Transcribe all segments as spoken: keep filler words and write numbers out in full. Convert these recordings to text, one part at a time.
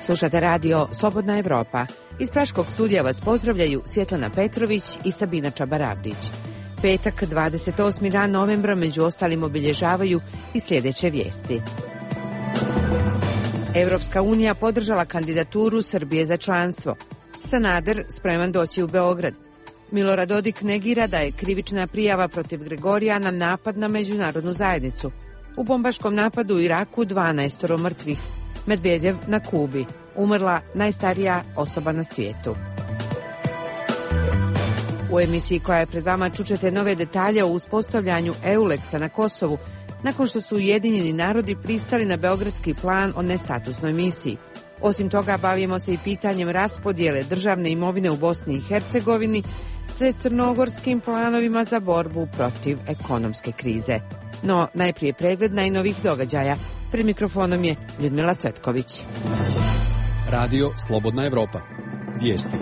Slušate radio Slobodna Evropa. Iz Praškog studija vas pozdravljaju Svjetlana Petrović i Sabina Čabarabdić. Petak, dvadeset osmi dan novembra, među ostalim obilježavaju i sljedeće vijesti. Evropska unija podržala kandidaturu Srbije za članstvo. Sanader spreman doći u Beograd. Milorad Dodik negira da je krivična prijava protiv Gregorijana napad na međunarodnu zajednicu. U bombaškom napadu u Iraku dvanaestoro mrtvih. Medvedev na Kubi. Umrla najstarija osoba na svijetu. U emisiji koja je pred vama čućete nove detalje o uspostavljanju EULEX-a na Kosovu, nakon što su Ujedinjeni narodi pristali na beogradski plan o nestatusnoj misiji. Osim toga, bavimo se i pitanjem raspodjele državne imovine u Bosni i Hercegovini te crnogorskim planovima za borbu protiv ekonomske krize. No, najprije pregled najnovih događaja. Pred mikrofonom je Ljudmila Cvetković. Radio Slobodna Evropa. Vijesti.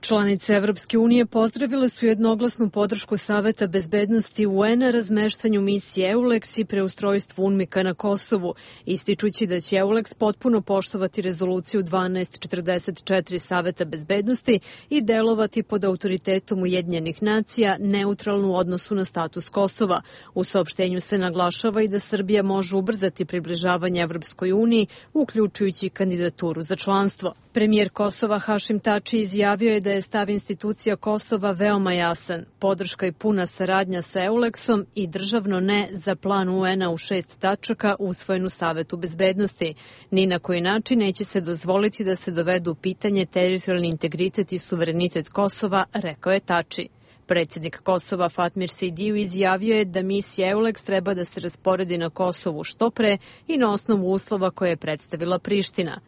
Članice Evropske unije pozdravile su jednoglasnu podršku Saveta bezbednosti U N-a razmeštanju misije EULEX i preustrojstvu UNMIK-a na Kosovu, ističući da će EULEX potpuno poštovati rezoluciju dvanaest četrdeset četiri Saveta bezbednosti i delovati pod autoritetom Ujedinjenih nacija neutralno u odnosu na status Kosova. U saopštenju se naglašava i da Srbija može ubrzati približavanje Evropskoj uniji, uključujući kandidaturu za članstvo. Premijer Kosova Hašim Tači izjavio je da je stav institucija Kosova veoma jasan, podrška i puna saradnja sa EULEX-om i državno ne za plan U N-a u šest tačaka usvojen u Savetu bezbednosti. Ni na koji način neće se dozvoliti da se dovedu u pitanje teritorijalni integritet i suverenitet Kosova, rekao je Tači. Predsjednik Kosova Fatmir Sejdiju izjavio je da misija EULEX treba da se rasporedi na Kosovu što pre i na osnovu uslova koje je predstavila Priština.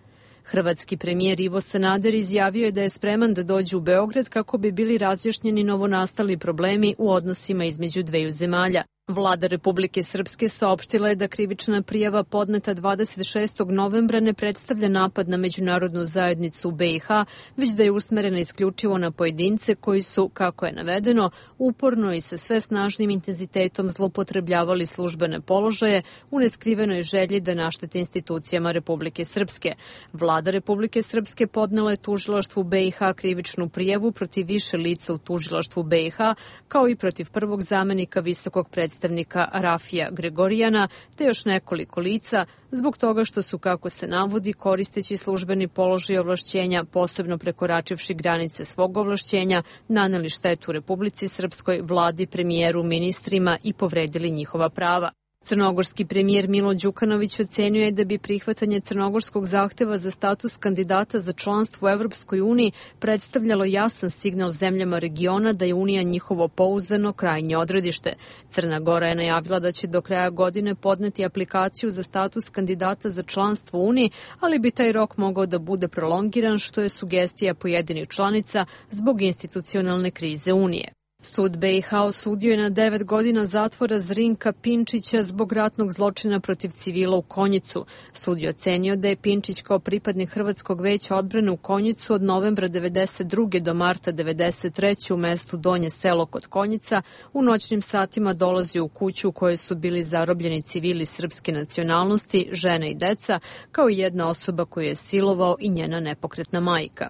Hrvatski premijer Ivo Sanader izjavio je da je spreman da dođe u Beograd kako bi bili razjašnjeni novonastali problemi u odnosima između dveju zemalja. Vlada Republike Srpske saopštila je da krivična prijava podneta dvadeset šestog novembra ne predstavlja napad na međunarodnu zajednicu u B i H, već da je usmerena isključivo na pojedince koji su, kako je navedeno, uporno i sa sve snažnim intenzitetom zloupotrebljavali službene položaje u neskrivenoj želji da naštete institucijama Republike Srpske. Vlada Republike Srpske podnela je tužilaštvu B i H krivičnu prijavu protiv više lica u tužilaštvu B i H, kao i protiv prvog zamenika visokog predstavnika predstavnika Rafija Gregorijana, te još nekoliko lica, zbog toga što su, kako se navodi, koristeći službeni položaj ovlašćenja, posebno prekoračivši granice svog ovlašćenja, naneli štetu Republici Srpskoj, vladi, premijeru, ministrima i povredili njihova prava. Crnogorski premijer Milo Đukanović ocenio je da bi prihvatanje crnogorskog zahteva za status kandidata za članstvo u Evropskoj uniji predstavljalo jasan signal zemljama regiona da je Unija njihovo pouzdano krajnje odredište. Crna Gora je najavila da će do kraja godine podneti aplikaciju za status kandidata za članstvo u Uniji, ali bi taj rok mogao da bude prolongiran, što je sugestija pojedinih članica zbog institucionalne krize Unije. Sud B i H osudio je na devet godina zatvora Zrinka Pinčića zbog ratnog zločina protiv civila u Konjicu. Sud je ocenio da je Pinčić kao pripadnik Hrvatskog veća odbrane u Konjicu od novembra devedeset druge do marta devedeset treće u mestu Donje Selo kod Konjica u noćnim satima dolazio u kuću u kojoj su bili zarobljeni civili srpske nacionalnosti, žene i deca, kao i jedna osoba koju je silovao i njena nepokretna majka.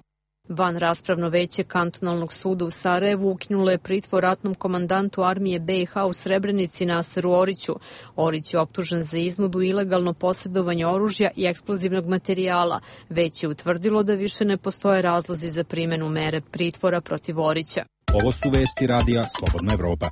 Van raspravno veće kantonalnog suda u Sarajevu ukinulo je pritvor ratnom komandantu armije B i H u Srebrenici Naseru Oriću. Orić je optužen za iznudu, ilegalno posjedovanje oružja i eksplozivnog materijala. Već je utvrdilo da više ne postoje razlozi za primjenu mere pritvora protiv Orića. Ovo su vesti radija Slobodna Evropa.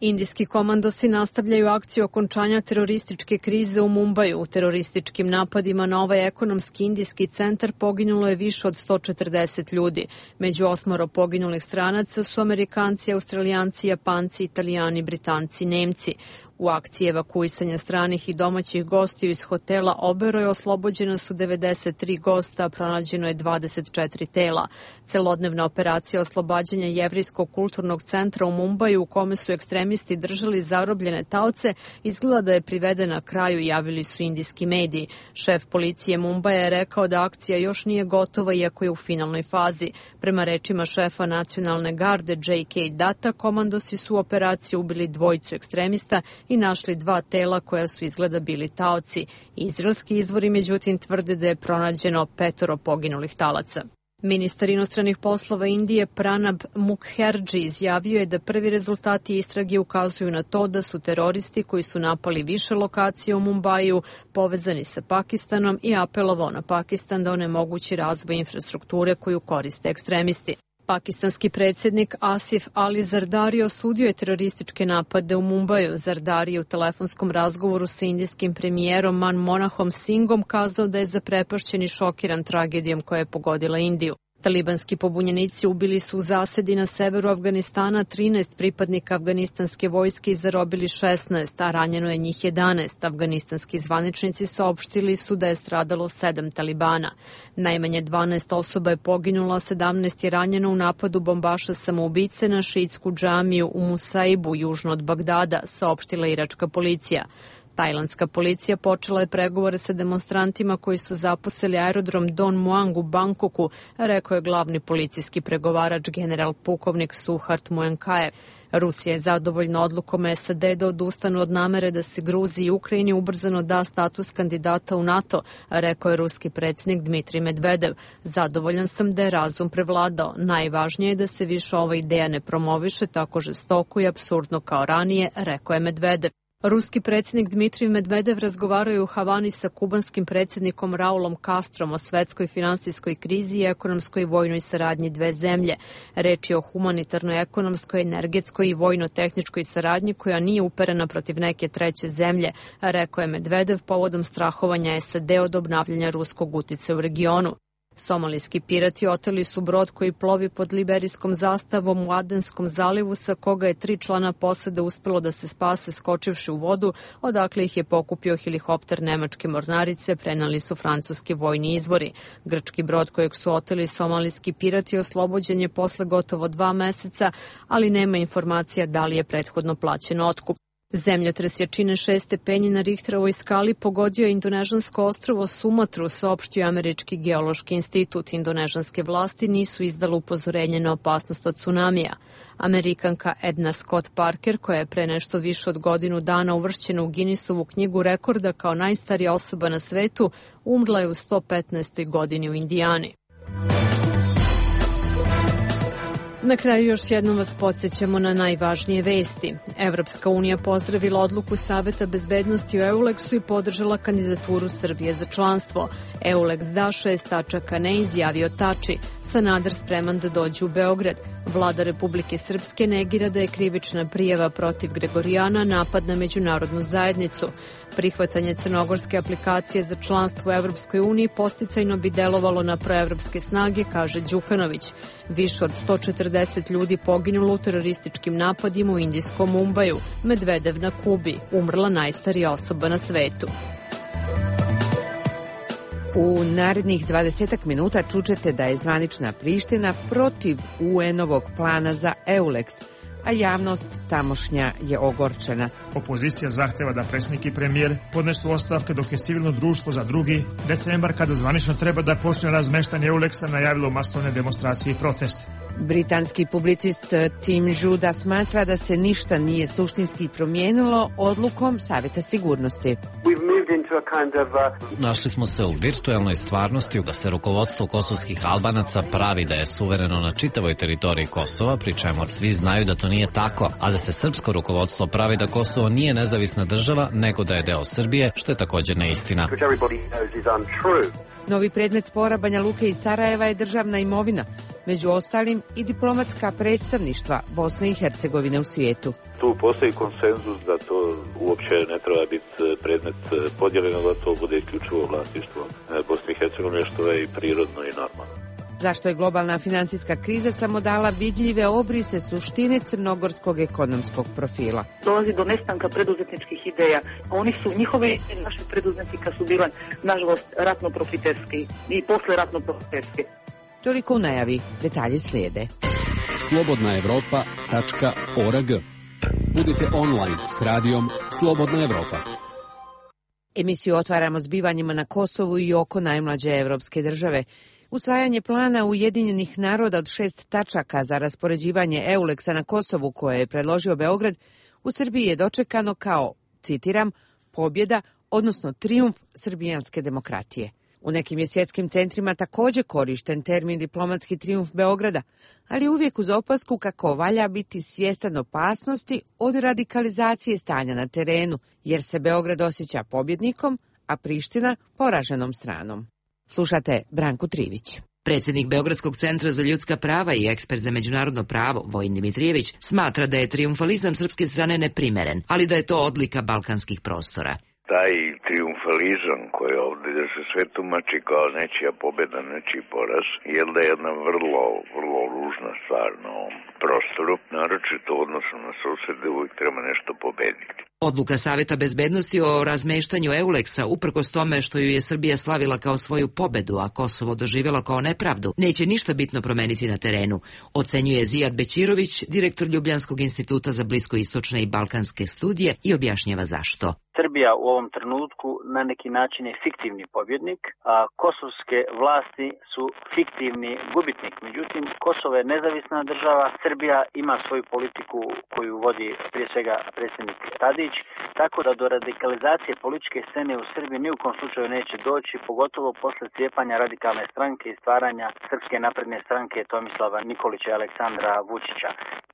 Indijski komandosi nastavljaju akciju okončanja terorističke krize u Mumbaju. U terorističkim napadima na ovaj ekonomski indijski centar poginulo je više od sto četrdeset ljudi. Među osmoro poginulih stranaca su Amerikanci, Australijanci, Japanci, Italijani, Britanci, Nemci. U akciji evakuisanja stranih i domaćih gostiju iz hotela Oberoj oslobođena su devedeset tri gosta, a pronađeno je dvadeset četiri tela. Celodnevna operacija oslobađanja Jevrijskog kulturnog centra u Mumbaju, u kome su ekstremisti držali zarobljene taoce, izgleda da je privedena kraju, javili su indijski mediji. Šef policije Mumbaja je rekao da akcija još nije gotova, iako je u finalnoj fazi. Prema rečima šefa nacionalne garde J K Data, komandosi su u operaciji ubili dvojicu ekstremista i našli dva tela koja su izgleda bili taoci. Izraelski izvori međutim tvrde da je pronađeno petoro poginulih talaca. Ministar inostranih poslova Indije Pranab Mukherjee izjavio je da prvi rezultati istrage ukazuju na to da su teroristi koji su napali više lokacija u Mumbaju povezani sa Pakistanom i apelovao na Pakistan da onemogući razvoj infrastrukture koju koriste ekstremisti. Pakistanski predsjednik Asif Ali Zardari osudio je terorističke napade u Mumbaju. Zardari je u telefonskom razgovoru sa indijskim premijerom Manmohanom Singhom kazao da je zaprepašćen i šokiran tragedijom koja je pogodila Indiju. Talibanski pobunjenici ubili su u zasedi na severu Afganistana trinaest pripadnika afganistanske vojske i zarobili šesnaest, a ranjeno je njih jedanaest. Afganistanski zvaničnici saopštili su da je stradalo sedam Talibana. Najmanje dvanaest osoba je poginulo, a sedamnaest je ranjeno u napadu bombaša samoubice na šiitsku džamiju u Musaibu, južno od Bagdada, saopštila iračka policija. Tajlandska policija počela je pregovore sa demonstrantima koji su zaposeli aerodrom Don Muang u Bangkoku, rekao je glavni policijski pregovarač general pukovnik Suhart Muangkaev. Rusija je zadovoljna odlukom S A D da odustanu od namere da se Gruziji i Ukrajini ubrzano da status kandidata u NATO, rekao je ruski predsjednik Dmitrij Medvedev. Zadovoljan sam da je razum prevladao. Najvažnije je da se više ova ideja ne promoviše tako žestoko i apsurdno kao ranije, rekao je Medvedev. Ruski predsjednik Dmitrij Medvedev razgovarao je u Havani sa kubanskim predsjednikom Raulom Castrom o svetskoj finansijskoj krizi i ekonomskoj i vojnoj saradnji dve zemlje. Reč je o humanitarnoj, ekonomskoj, energetskoj i vojno-tehničkoj saradnji koja nije uperena protiv neke treće zemlje, rekao je Medvedev povodom strahovanja S A D od obnavljanja ruskog uticaja u regionu. Somalijski pirati oteli su brod koji plovi pod liberijskom zastavom u Adenskom zalivu, sa koga je tri člana posade uspelo da se spase skočivši u vodu, odakle ih je pokupio helikopter nemačke mornarice, prenali su francuski vojni izvori. Grčki brod kojeg su oteli somalijski pirati oslobođen je posle gotovo dva meseca, ali nema informacija da li je prethodno plaćen otkup. Zemljotres jačine šest stepeni na Richterovoj skali pogodio je indonežansko ostrvo Sumatru, saopštio Američki geološki institut. Indonežanske vlasti nisu izdale upozorenje na opasnost od tsunamija. Amerikanka Edna Scott Parker, koja je pre nešto više od godinu dana uvršćena u Guinnessovu knjigu rekorda kao najstarija osoba na svetu, umrla je u sto petnaestoj godini u Indijani. Na kraju još jednom vas podsjećamo na najvažnije vesti. Evropska unija pozdravila odluku Saveta bezbednosti u Euleksu i podržala kandidaturu Srbije za članstvo. Euleks da, šest tačaka ne, izjavio Tači. Sanader spreman da dođe u Beograd. Vlada Republike Srpske negira da je krivična prijava protiv Gregorijana napad na međunarodnu zajednicu. Prihvatanje crnogorske aplikacije za članstvo u Evropskoj uniji posticajno bi delovalo na proevropske snage, kaže Đukanović. Više od sto četrdeset ljudi poginulo u terorističkim napadima u indijskom Mumbaju. Medvedev na Kubi, umrla najstarija osoba na svetu. U narednih dvadesetak minuta čućete da je zvanična Priština protiv U N-ovog plana za Euleks, a javnost tamošnja je ogorčena. Opozicija zahteva da predsjednik i premijer podnesu ostavke, dok je civilno društvo za drugi decembar, kada zvanično treba da počne razmeštanje Euleksa, najavilo masovne demonstracije i proteste. Britanski publicist Tim Juda smatra da se ništa nije suštinski promijenilo odlukom Saveta sigurnosti. Našli smo se u virtuelnoj stvarnosti da se rukovodstvo kosovskih Albanaca pravi da je suvereno na čitavoj teritoriji Kosova, pri čemu svi znaju da to nije tako, a da se srpsko rukovodstvo pravi da Kosovo nije nezavisna država, nego da je deo Srbije, što je također neistina. Novi predmet spora Banja Luke i Sarajeva je državna imovina, među ostalim i diplomatska predstavništva Bosne i Hercegovine u svijetu. Tu postoji konsenzus da to uopće ne treba biti predmet podjeljeno, da to bude isključivo vlasništvo Bosne i Hercegovine, što je i prirodno i normalno. Zašto je globalna finansijska kriza samo dala vidljive obrise suštine crnogorskog ekonomskog profila? Dolazi do nestanka preduzetničkih ideja. Oni su, njihove naše preduzetnika su bile, nažalost, ratno profiterski i posle ratno profiterski. Toliko u najavi, detalji slijede. slobodna evropa tačka org. Budite online s radijom Slobodna Evropa. Emisiju otvaramo zbivanjima na Kosovu i oko najmlađe evropske države. Usvajanje plana Ujedinjenih naroda od šest tačaka za raspoređivanje Euleksa na Kosovu, koje je predložio Beograd, u Srbiji je dočekano kao, citiram, pobjeda, odnosno trijumf srbijanske demokratije. U nekim je svjetskim centrima također korišten termin diplomatski trijumf Beograda, ali uvijek uz opasku kako valja biti svjestan opasnosti od radikalizacije stanja na terenu, jer se Beograd osjeća pobjednikom, a Priština poraženom stranom. Slušate Branku Trivić. Predsjednik Beogradskog centra za ljudska prava i ekspert za međunarodno pravo, Vojin Dimitrijević, smatra da je trijumfalizam srpske strane neprimeren, ali da je to odlika balkanskih prostora. Taj trijumfalizam koji ovdje da se sve tumači kao nečija pobjeda, nečiji poraz, je da je jedna vrlo, vrlo ružna stvar na ovom prostoru, naročito u odnosu na susjede, uvijek treba nešto pobediti. Odluka Saveta bezbednosti o razmeštanju Euleksa, uprkos tome što ju je Srbija slavila kao svoju pobedu, a Kosovo doživjela kao nepravdu, neće ništa bitno promeniti na terenu, ocenjuje Zijad Bećirović, direktor Ljubljanskog instituta za bliskoistočne i balkanske studije, i objašnjava zašto. Srbija u ovom trenutku na neki način je fiktivni pobjednik, a kosovske vlasti su fiktivni gubitnik. Međutim, Kosovo je nezavisna država, Srbija ima svoju politiku koju vodi prije svega predsjednik Tadić, tako da do radikalizacije političke scene u Srbiji ni u kom slučaju neće doći, pogotovo posle cijepanja radikalne stranke i stvaranja Srpske napredne stranke Tomislava Nikolića i Aleksandra Vučića.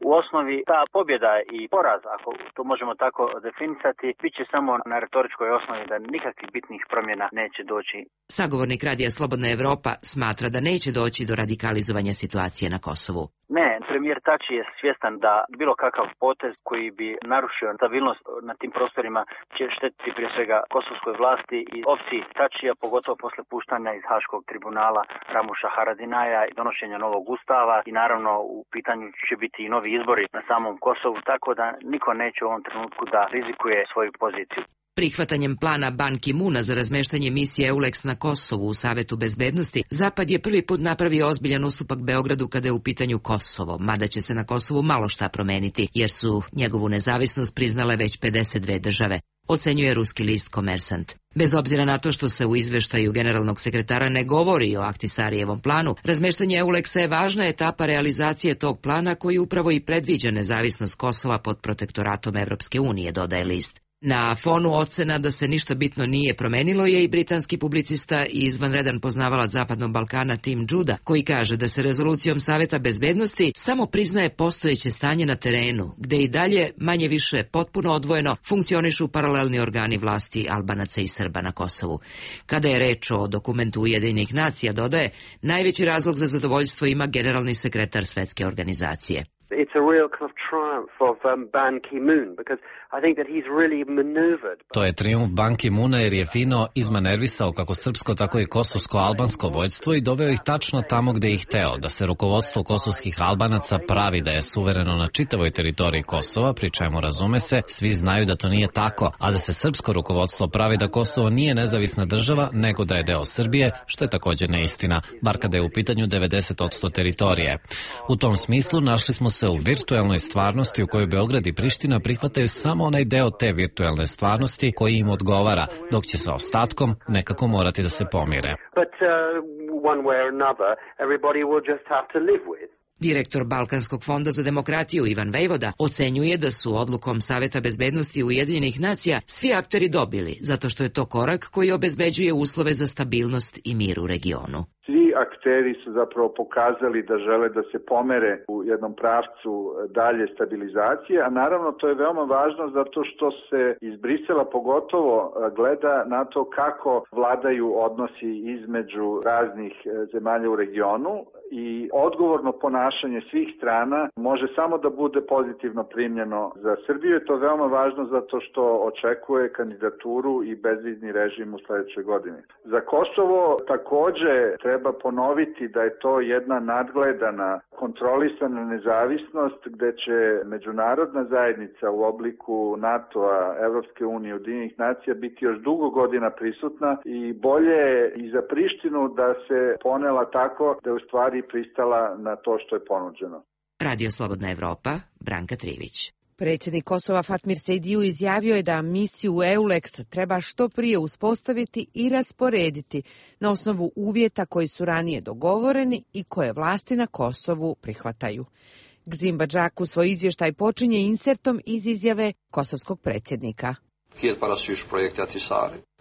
U osnovi ta pobjeda i poraz, ako to možemo tako definisati, bit će samo na retoričkoj osnovi da nikakvih bitnih promjena neće doći. Sagovornik Radija Slobodna Evropa smatra da neće doći do radikalizovanja situacije na Kosovu. Ne, premijer Tači je svjestan da bilo kakav potez koji bi narušio stabilnost na tim prostorima će štetiti prije svega kosovskoj vlasti i opciji Tačija, pogotovo posle puštanja iz Haškog tribunala Ramuša Haradinaja i donošenja novog ustava, i naravno u pitanju će biti i novi izbori na samom Kosovu, tako da niko neće u ovom trenutku da rizikuje svoju poziciju. Prihvatanjem plana Ban Ki-muna za razmeštanje misije Euleks na Kosovu u Savetu bezbednosti, Zapad je prvi put napravio ozbiljan ustupak Beogradu kada je u pitanju Kosovo, mada će se na Kosovu malo šta promeniti, jer su njegovu nezavisnost priznale već pedeset dve države, ocenjuje ruski list Komersant. Bez obzira na to što se u izveštaju generalnog sekretara ne govori o Ahtisarijevom planu, razmeštanje Euleksa je važna etapa realizacije tog plana koji upravo i predviđa nezavisnost Kosova pod protektoratom Evropske unije, dodaje list. Na fonu ocena da se ništa bitno nije promenilo je i britanski publicista i izvanredan poznavalac Zapadnog Balkana Tim Juda, koji kaže da se rezolucijom Saveta bezbednosti samo priznaje postojeće stanje na terenu, gde i dalje, manje više potpuno odvojeno, funkcionišu paralelni organi vlasti Albanaca i Srba na Kosovu. Kada je reč o dokumentu Ujedinjenih nacija, dodaje, najveći razlog za zadovoljstvo ima generalni sekretar Svetske organizacije. It's a real kind of triumph of um, Ban Ki-moon because I think that he's really maneuvered. To je trijumf Ban Ki-moona jer je fino izmanervisao kako srpsko tako i kosovsko-albansko vođstvo i doveo ih tačno tamo gde ih hteo, da se rukovodstvo kosovskih Albanaca pravi da je suvereno na čitavoj teritoriji Kosova, pri čemu, razume se, svi znaju da to nije tako, a da se srpsko rukovodstvo pravi da Kosovo nije nezavisna država, nego da je deo Srbije, što je također neistina, bar kada je u pitanju devedeset posto teritorije. U tom smislu našli smo se u virtuelnoj stvarnosti u kojoj Beograd i Priština prihvataju samo onaj deo te virtuelne stvarnosti koji im odgovara, dok će sa ostatkom nekako morati da se pomire. But uh, one way or another, everybody will just have to live with. Direktor Balkanskog fonda za demokratiju Ivan Vejvoda ocenjuje da su odlukom Saveta bezbednosti Ujedinjenih nacija svi akteri dobili, zato što je to korak koji obezbeđuje uslove za stabilnost i mir u regionu. Svi akteri su zapravo pokazali da žele da se pomere u jednom pravcu dalje stabilizacije, a naravno to je veoma važno zato što se iz Brisela pogotovo gleda na to kako vladaju odnosi između raznih zemalja u regionu i odgovorno ponašanje svih strana može samo da bude pozitivno primljeno za Srbiju. Je to veoma važno zato što očekuje kandidaturu i bezvizni režim u sledećoj godini. Za Kosovo takođe treba ponoviti da je to jedna nadgledana, kontrolisana nezavisnost gde će međunarodna zajednica u obliku NATO-a, Evropske unije, Ujedinjenih nacija biti još dugo godina prisutna i bolje je i za Prištinu da se ponela tako da je u stvari pristala na to što je ponuđeno. Radio Slobodna Evropa, Branka Trivić. Predsjednik Kosova Fatmir Sejdiju izjavio je da misiju Euleks treba što prije uspostaviti i rasporediti na osnovu uvjeta koji su ranije dogovoreni i koje vlasti na Kosovu prihvataju. Gzimba Džaku svoj izvještaj počinje insertom iz izjave kosovskog predsjednika.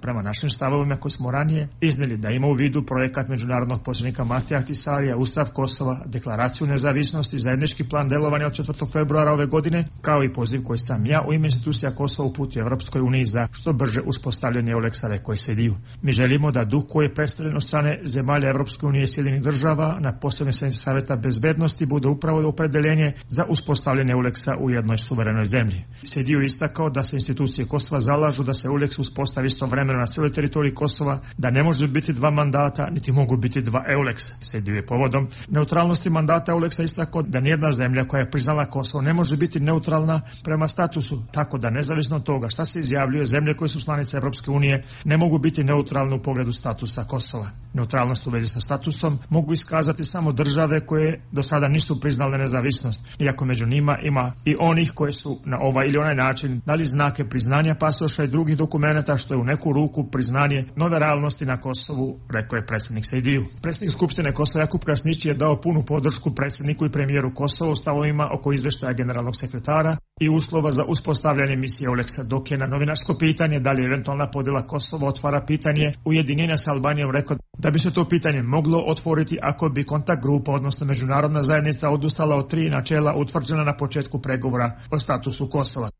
Prema našim stavovima koji smo ranije iznijeli da ima u vidu projekat međunarodnog posrednika Matija Ahtisarija, Ustav Kosova, deklaraciju nezavisnosti, zajednički plan delovanja od četvrtog februara ove godine, kao i poziv koji sam ja u ime institucija Kosova uputio Evropskoj uniji za što brže uspostavljanje Euleksa, rekao je Sediju. Mi želimo da duh koji je predstavljen od strane zemalja Evropske unije i Sjedinjenih država na posljednjoj sjednici Saveta bezbednosti bude upravo opredeljenje za uspostavljanje Euleksa u jednoj suverenoj zemlji. Sediju istakao da se institucije Kosova zalažu da se Euleks uspostavi istovremeno na cijeloj teritoriji Kosova, da ne može biti dva mandata, niti mogu biti dva Euleksa. Sediju je povodom neutralnosti mandata Euleksa istakao da nijedna zemlja koja je priznala Kosovo ne može biti neutralna prema statusu, tako da nezavisno od toga šta se izjavljuje, zemlje koje su članice Evropske unije ne mogu biti neutralne u pogledu statusa Kosova. Neutralnost u vezi sa statusom mogu iskazati samo države koje do sada nisu priznale nezavisnost, iako među njima ima i onih koje su na ovaj ili onaj način dali znake priznanja pasoša i drugih dokumenata, što je u neku ruku priznanje nove realnosti na Kosovu, rekao je predsjednik Sejdiju. Predsjednik Skupštine Kosova Jakub Krasnić je dao punu podršku predsjedniku i premijeru Kosova u stavovima oko izvještaja generalnog sekretara i uslova za uspostavljanje misije Euleksa, dok je na novinarsko pitanje da li eventualna podjela Kosova otvara pitanje ujedinjenja sa Albanijom rekao da bi se to pitanje moglo otvoriti ako bi kontakt grupa, odnosno međunarodna zajednica, odustala od tri načela utvrđena na početku pregovora o statusu Kosova.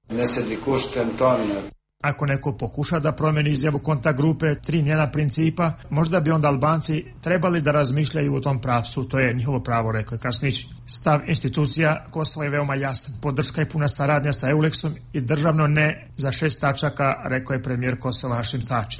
Ako neko pokuša da promeni izjavu kontakt grupe, tri njena principa, možda bi onda Albanci trebali da razmišljaju u tom pravcu, to je njihovo pravo, rekao je Krasnić. Stav institucija Kosova je veoma jasan, podrška i puna saradnja sa Euleksom i državno ne za šest tačaka, rekao je premijer Kosova Hašim Tači.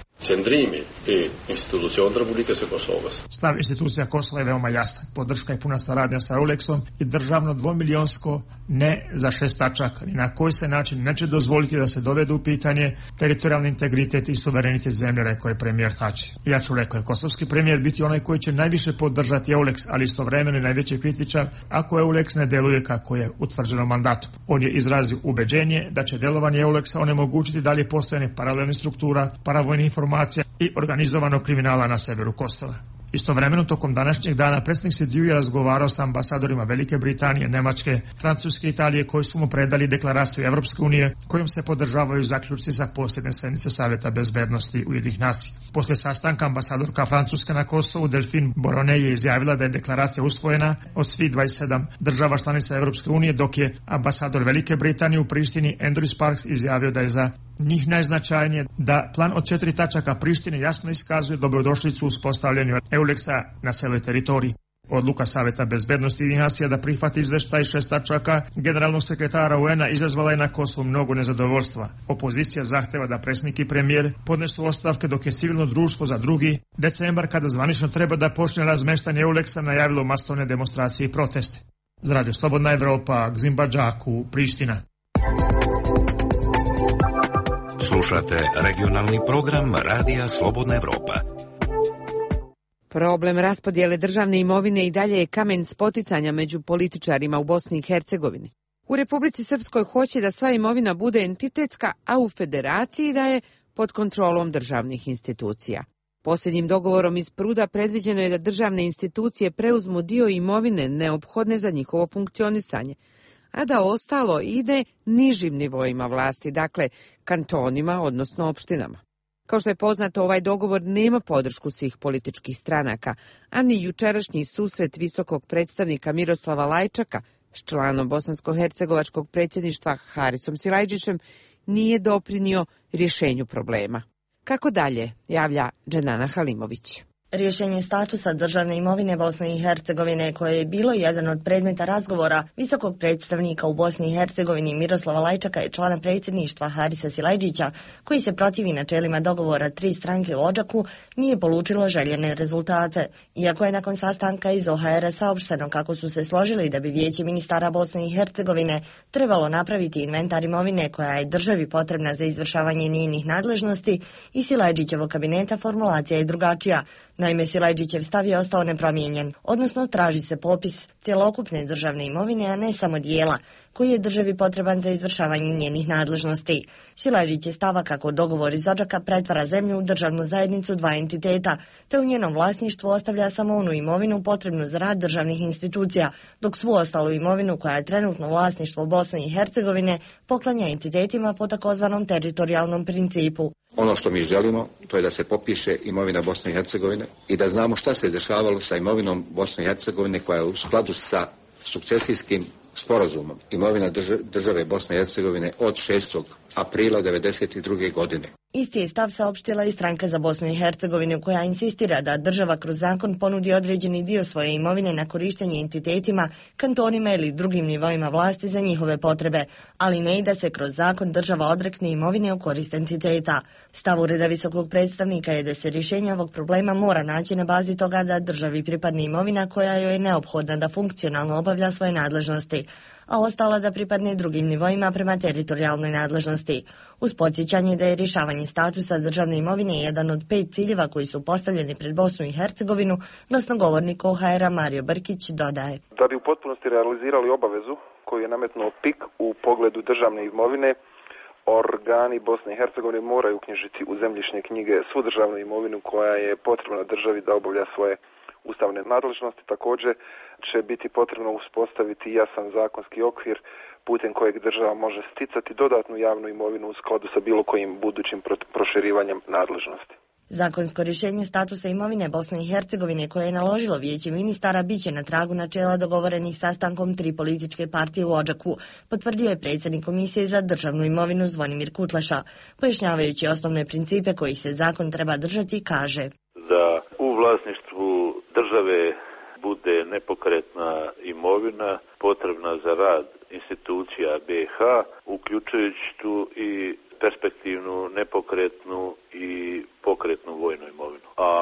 Stav institucija Kosova je veoma jasan, podrška i puna saradnja sa Euleksom i državno dvomilionsko ne za šest tačaka, ni na koji se način neće dozvoliti da se dovedu u pitanje teritorijalni integritet i suverenitet zemlje, rekao je premijer Tači. Ja ću, rekao je kosovski premijer, biti onaj koji će najviše podržati Euleks, ali istovremeno i najveći kritičar ako Euleks ne deluje kako je utvrđeno mandatom. On je izrazio ubeđenje da će delovanje Euleksa onemogućiti dalje postojanje paralelnih struktura, paravojnih informacija i organizovanog kriminala na severu Kosova. Istovremeno, tokom današnjeg dana predsjednik Sediju je razgovarao sa ambasadorima Velike Britanije, Nemačke, Francuske i Italije koji su mu predali deklaraciju Evropske unije kojom se podržavaju zaključci sa posljednje sednice Saveta bezbednosti Ujedinjenih nacija. Posle sastanka ambasadorka Francuske na Kosovu Delphine Borone je izjavila da je deklaracija usvojena od svih dvadeset sedam država članica Evropske unije, dok je ambasador Velike Britanije u Prištini Andrew Sparks izjavio da je za njih najznačajnije da plan od četiri tačaka Prištine jasno iskazuje dobrodošlicu u uspostavljanju Euleksa na celoj teritoriji. Odluka Saveta bezbednosti Ujedinjenih nacija da prihvati izveštaj šest tačaka generalnog sekretara U N-a izazvala je na Kosovu mnogo nezadovoljstva. Opozicija zahteva da predsjednik i premijer podnesu ostavke, dok je civilno društvo za drugi decembar, kada zvanično treba da počne razmeštanje Euleksa, najavilo masovne demonstracije i proteste. Za Radio Slobodna Evropa, Gzimba Džaku, Priština. Slušate regionalni program Radija Slobodna Evropa. Problem raspodjele državne imovine i dalje je kamen spoticanja među političarima u Bosni i Hercegovini. U Republici Srpskoj hoće da sva imovina bude entitetska, a u Federaciji da je pod kontrolom državnih institucija. Posljednjim dogovorom iz Pruda predviđeno je da državne institucije preuzmu dio imovine neophodne za njihovo funkcionisanje, a da ostalo ide nižim nivoima vlasti, dakle kantonima, odnosno opštinama. Kao što je poznato, ovaj dogovor nema podršku svih političkih stranaka, a ni jučerašnji susret visokog predstavnika Miroslava Lajčaka s članom bosansko-hercegovačkog predsjedništva Harisom Silajdžićem nije doprinio rješenju problema. Kako dalje, javlja Dženana Halimović. Rješenje statusa državne imovine Bosne i Hercegovine, koje je bilo jedan od predmeta razgovora visokog predstavnika u Bosni i Hercegovini Miroslava Lajčaka i člana predsjedništva Harisa Silajdžića, koji se protivi načelima dogovora tri stranke u Odžaku, nije polučilo željene rezultate. Iako je nakon sastanka iz O H R-a saopšteno kako su se složili da bi Vijeće ministara Bosne i Hercegovine trebalo napraviti inventar imovine koja je državi potrebna za izvršavanje njenih nadležnosti, i Silajdžićevog kabineta formulacija je drugačija. Naime, Silajdžićev stav je ostao nepromijenjen, odnosno traži se popis cjelokupne državne imovine, a ne samo dijela. koji je državi potreban za izvršavanje njenih nadležnosti. Silajdžić je stava kako dogovor iz Odžaka pretvara zemlju u državnu zajednicu dva entiteta, te u njenom vlasništvu ostavlja samo onu imovinu potrebnu za rad državnih institucija, dok svu ostalu imovinu koja je trenutno vlasništvo Bosne i Hercegovine poklanja entitetima po takozvanom teritorijalnom principu. Ono što mi želimo, to je da se popiše imovina Bosne i Hercegovine i da znamo šta se dešavalo sa imovinom Bosne i Hercegovine koja je u skladu sa sukcesijskim sporazumom imovina države Bosne i Hercegovine od šestog aprila devedeset druge godine. Isti je stav saopštila i Stranka za Bosnu i Hercegovinu, koja insistira da država kroz zakon ponudi određeni dio svoje imovine na korištenje entitetima, kantonima ili drugim nivoima vlasti za njihove potrebe, ali ne i da se kroz zakon država odrekne imovine u korist entiteta. Stav Ureda visokog predstavnika je da se rješenje ovog problema mora naći na bazi toga da državi pripadne imovina koja joj je neophodna da funkcionalno obavlja svoje nadležnosti, a ostala da pripadne drugim nivoima prema teritorijalnoj nadležnosti. Uz podsjećanje da je rješavanje statusa državne imovine jedan od pet ciljeva koji su postavljeni pred Bosnu i Hercegovinu, glasnogovornik O H R-a Mario Brkić dodaje. Da bi u potpunosti realizirali obavezu koju je nametnuo P I K u pogledu državne imovine, organi Bosne i Hercegovine moraju uknjižiti u zemljišne knjige svu državnu imovinu koja je potrebna državi da obavlja svoje ustavne nadležnosti. Također će biti potrebno uspostaviti jasan zakonski okvir putem kojeg država može sticati dodatnu javnu imovinu u skladu sa bilo kojim budućim proširivanjem nadležnosti. Zakonsko rješenje statusa imovine Bosne i Hercegovine koje je naložilo Vijeće ministara biće na tragu načela dogovorenih sastankom tri političke partije u Odžaku, potvrdio je predsjednik Komisije za državnu imovinu Zvonimir Kutleša. Pojašnjavajući osnovne principe kojih se zakon treba držati, kaže: Da u vlasništvu države bude nepokretna imovina potrebna za rad institucija B iH, uključujući tu i perspektivnu, nepokretnu i pokretnu vojnu imovinu. A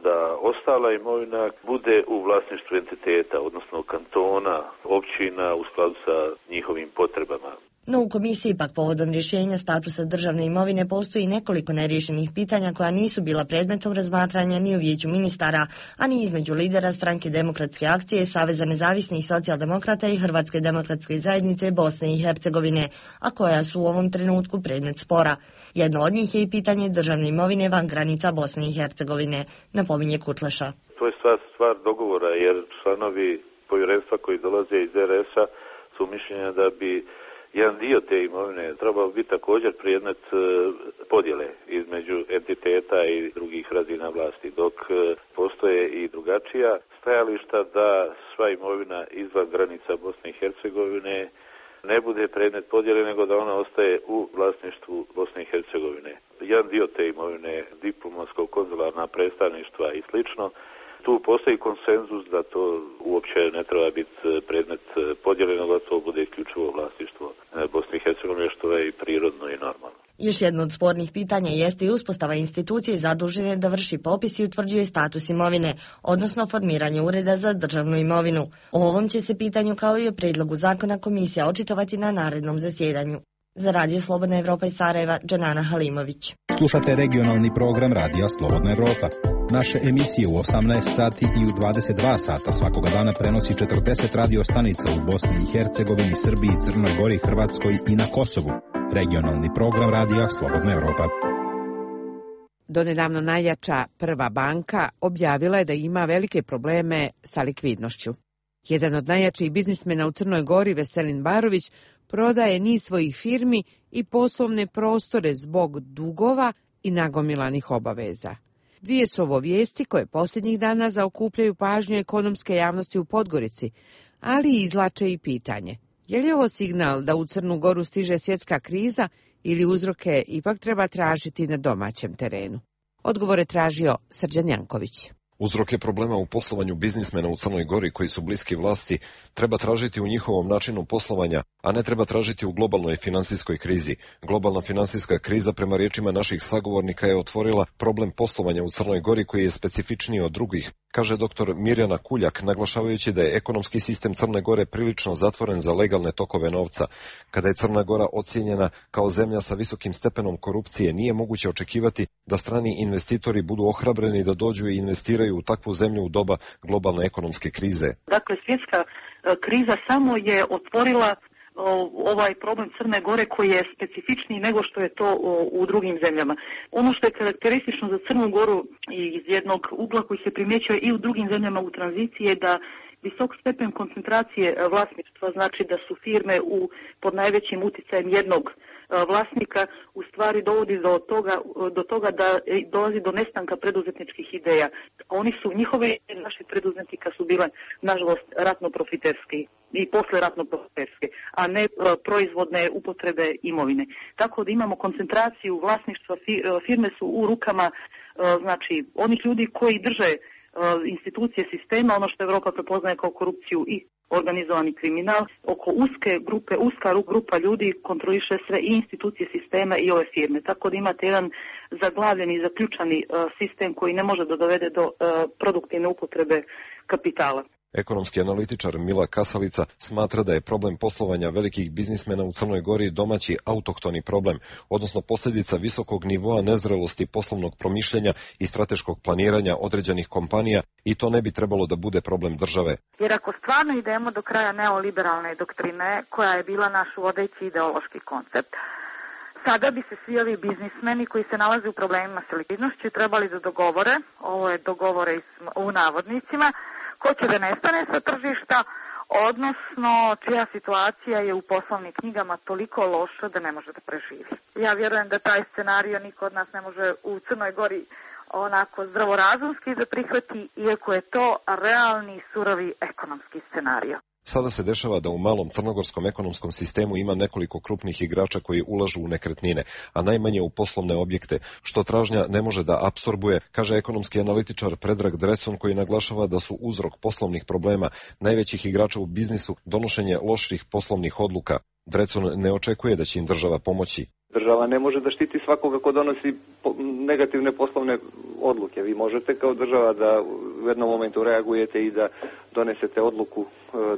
da ostala imovina bude u vlasništvu entiteta, odnosno kantona, općina u skladu sa njihovim potrebama. No u komisiji pak povodom rješenja statusa državne imovine postoji nekoliko neriješenih pitanja koja nisu bila predmetom razmatranja ni u Vijeću ministara, a ni između lidera Stranke demokratske akcije, Saveza nezavisnih socijaldemokrata i Hrvatske demokratske zajednice Bosne i Hercegovine, a koja su u ovom trenutku predmet spora. Jedno od njih je i pitanje državne imovine van granica Bosne i Hercegovine, napominje Kutleša. To je stvar, stvar dogovora, jer članovi povjerenstva koji dolaze iz R S-a su mišljenja da bi jedan dio te imovine trebao biti također predmet podjele između entiteta i drugih razina vlasti, dok postoje i drugačija stajališta da sva imovina izvan granica Bosne i Hercegovine ne bude predmet podjele, nego da ona ostaje u vlasništvu Bosne i Hercegovine. Jedan dio te imovine, diplomatsko-konzularna predstavništva i slično, tu postoji konsenzus da to uopće ne treba biti predmet podjeljeno, da to bude isključivo vlasništvo Bosne i Hercegovine, što je i prirodno i normalno. Još jedno od spornih pitanja jeste i uspostava institucije zadužene da vrši popis i utvrđuje status imovine, odnosno formiranje ureda za državnu imovinu. O ovom će se pitanju kao i o predlogu zakona komisija očitovati na narednom zasjedanju. Za Radio Slobodna Evropa iz Sarajeva, Dženana Halimović. Slušate regionalni program Radija Slobodna Evropa. Naše emisije u osamnaest sati i u dvadeset dva sata svakoga dana prenosi četrdeset radio stanica u Bosni i Hercegovini, Srbiji, Crnoj Gori, Hrvatskoj i na Kosovu. Regionalni program Radija Slobodna Evropa. Donedavno najjača Prva banka objavila je da ima velike probleme sa likvidnošću. Jedan od najjačih biznismena u Crnoj Gori, Veselin Barović, prodaje niz svojih firmi i poslovne prostore zbog dugova i nagomilanih obaveza. Dvije su ovo vijesti koje posljednjih dana zaokupljaju pažnju ekonomske javnosti u Podgorici, ali izlače i pitanje: je li ovo signal da u Crnu Goru stiže svjetska kriza ili uzroke ipak treba tražiti na domaćem terenu? Odgovor je tražio Srđan Janković. Uzroke problema u poslovanju biznismena u Crnoj Gori koji su bliski vlasti treba tražiti u njihovom načinu poslovanja, a ne treba tražiti u globalnoj finansijskoj krizi. Globalna finansijska kriza, prema riječima naših sagovornika, je otvorila problem poslovanja u Crnoj Gori koji je specifičniji od drugih, kaže doktor Mirjana Kuljak, naglašavajući da je ekonomski sistem Crne Gore prilično zatvoren za legalne tokove novca. Kada je Crna Gora ocijenjena kao zemlja sa visokim stepenom korupcije, nije moguće očekivati da strani investitori budu ohrabreni da dođu i investiraju u takvu zemlju u doba globalne ekonomske krize. Dakle, svjetska kriza samo je otvorila ovaj problem Crne Gore koji je specifičniji nego što je to u drugim zemljama. Ono što je karakteristično za Crnu Goru i iz jednog ugla koji se primjećuje i u drugim zemljama u tranziciji je da visok stepen koncentracije vlasništva, znači da su firme u, pod najvećim uticajem jednog vlasnika, u stvari dovodi do toga, do toga da dolazi do nestanka preduzetničkih ideja. Oni su, njihove naših preduzetnika su bile, nažalost, ratno profiterski i posle ratno profiterske, a ne proizvodne upotrebe imovine. Tako da imamo koncentraciju vlasništva, firme su u rukama, znači, onih ljudi koji drže institucije sistema, ono što Evropa prepoznaje kao korupciju i organizovani kriminal, oko uske grupe, uska grupa ljudi kontroliše sve i institucije sistema i ove firme. Tako da imate jedan zaglavljeni i zaključani uh, sistem koji ne može da dovede do uh, produktivne upotrebe kapitala. Ekonomski analitičar Mila Kasalica smatra da je problem poslovanja velikih biznismena u Crnoj Gori domaći autohtoni problem, odnosno posljedica visokog nivoa nezrelosti poslovnog promišljanja i strateškog planiranja određenih kompanija i to ne bi trebalo da bude problem države. Jer ako stvarno idemo do kraja neoliberalne doktrine, koja je bila naš vodeći ideološki koncept, sada bi se svi ovi biznismeni koji se nalaze u problemima sa likvidnošću trebali da dogovore, ovo je dogovore u navodnicima, ko će da nestane sa tržišta, odnosno čija situacija je u poslovnim knjigama toliko loša da ne može da preživi. Ja vjerujem da taj scenario niko od nas ne može u Crnoj Gori onako zdravorazumski da prihvati, iako je to realni, surovi ekonomski scenario. Sada se dešava da u malom crnogorskom ekonomskom sistemu ima nekoliko krupnih igrača koji ulažu u nekretnine, a najmanje u poslovne objekte, što tražnja ne može da apsorbuje, kaže ekonomski analitičar Predrag Drecun, koji naglašava da su uzrok poslovnih problema najvećih igrača u biznisu donošenje loših poslovnih odluka. Drecun ne očekuje da će im država pomoći. Država ne može da štiti svakoga ko donosi negativne poslovne odluke. Vi možete kao država da u jednom momentu reagujete i da donesete odluku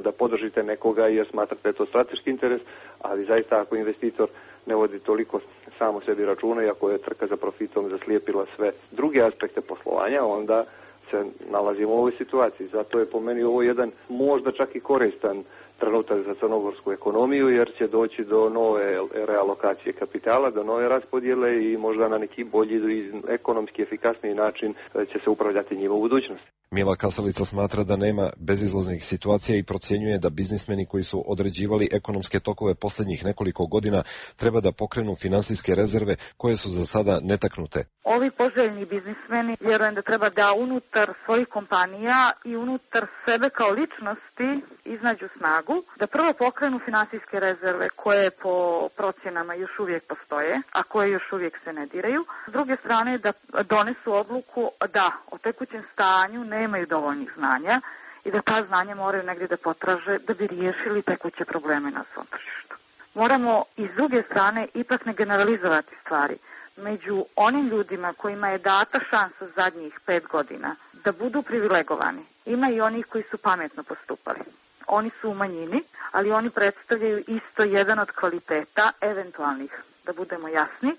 da podržite nekoga jer smatrate da je to strateški interes, ali zaista ako investitor ne vodi toliko samo sebi računa i ako je trka za profitom zaslijepila sve druge aspekte poslovanja, onda se nalazimo u ovoj situaciji. Zato je po meni ovo jedan možda čak i koristan trenutak za crnogorsku ekonomiju, jer će doći do nove realokacije kapitala, do nove raspodjele i možda na neki bolji i ekonomski efikasniji način će se upravljati njima u budućnosti. Mila Kasalica smatra da nema bezizlaznih situacija i procjenjuje da biznismeni koji su određivali ekonomske tokove posljednjih nekoliko godina treba da pokrenu finansijske rezerve koje su za sada netaknute. Ovi poželjni biznismeni vjerujem da treba da unutar svojih kompanija i unutar sebe kao ličnosti iznađu snagu, da prvo pokrenu finansijske rezerve koje po procjenama još uvijek postoje, a koje još uvijek se ne diraju. S druge strane da donesu odluku da o tekućem stanju nemaju dovoljnih znanja i da ta znanja moraju negdje da potraže da bi riješili tekuće probleme na svom tržištu. Moramo i s druge strane ipak ne generalizovati stvari. Među onim ljudima kojima je data šansa zadnjih pet godina da budu privilegovani, ima i onih koji su pametno postupali. Oni su u manjini, ali oni predstavljaju isto jedan od kvaliteta eventualnih, da budemo jasni,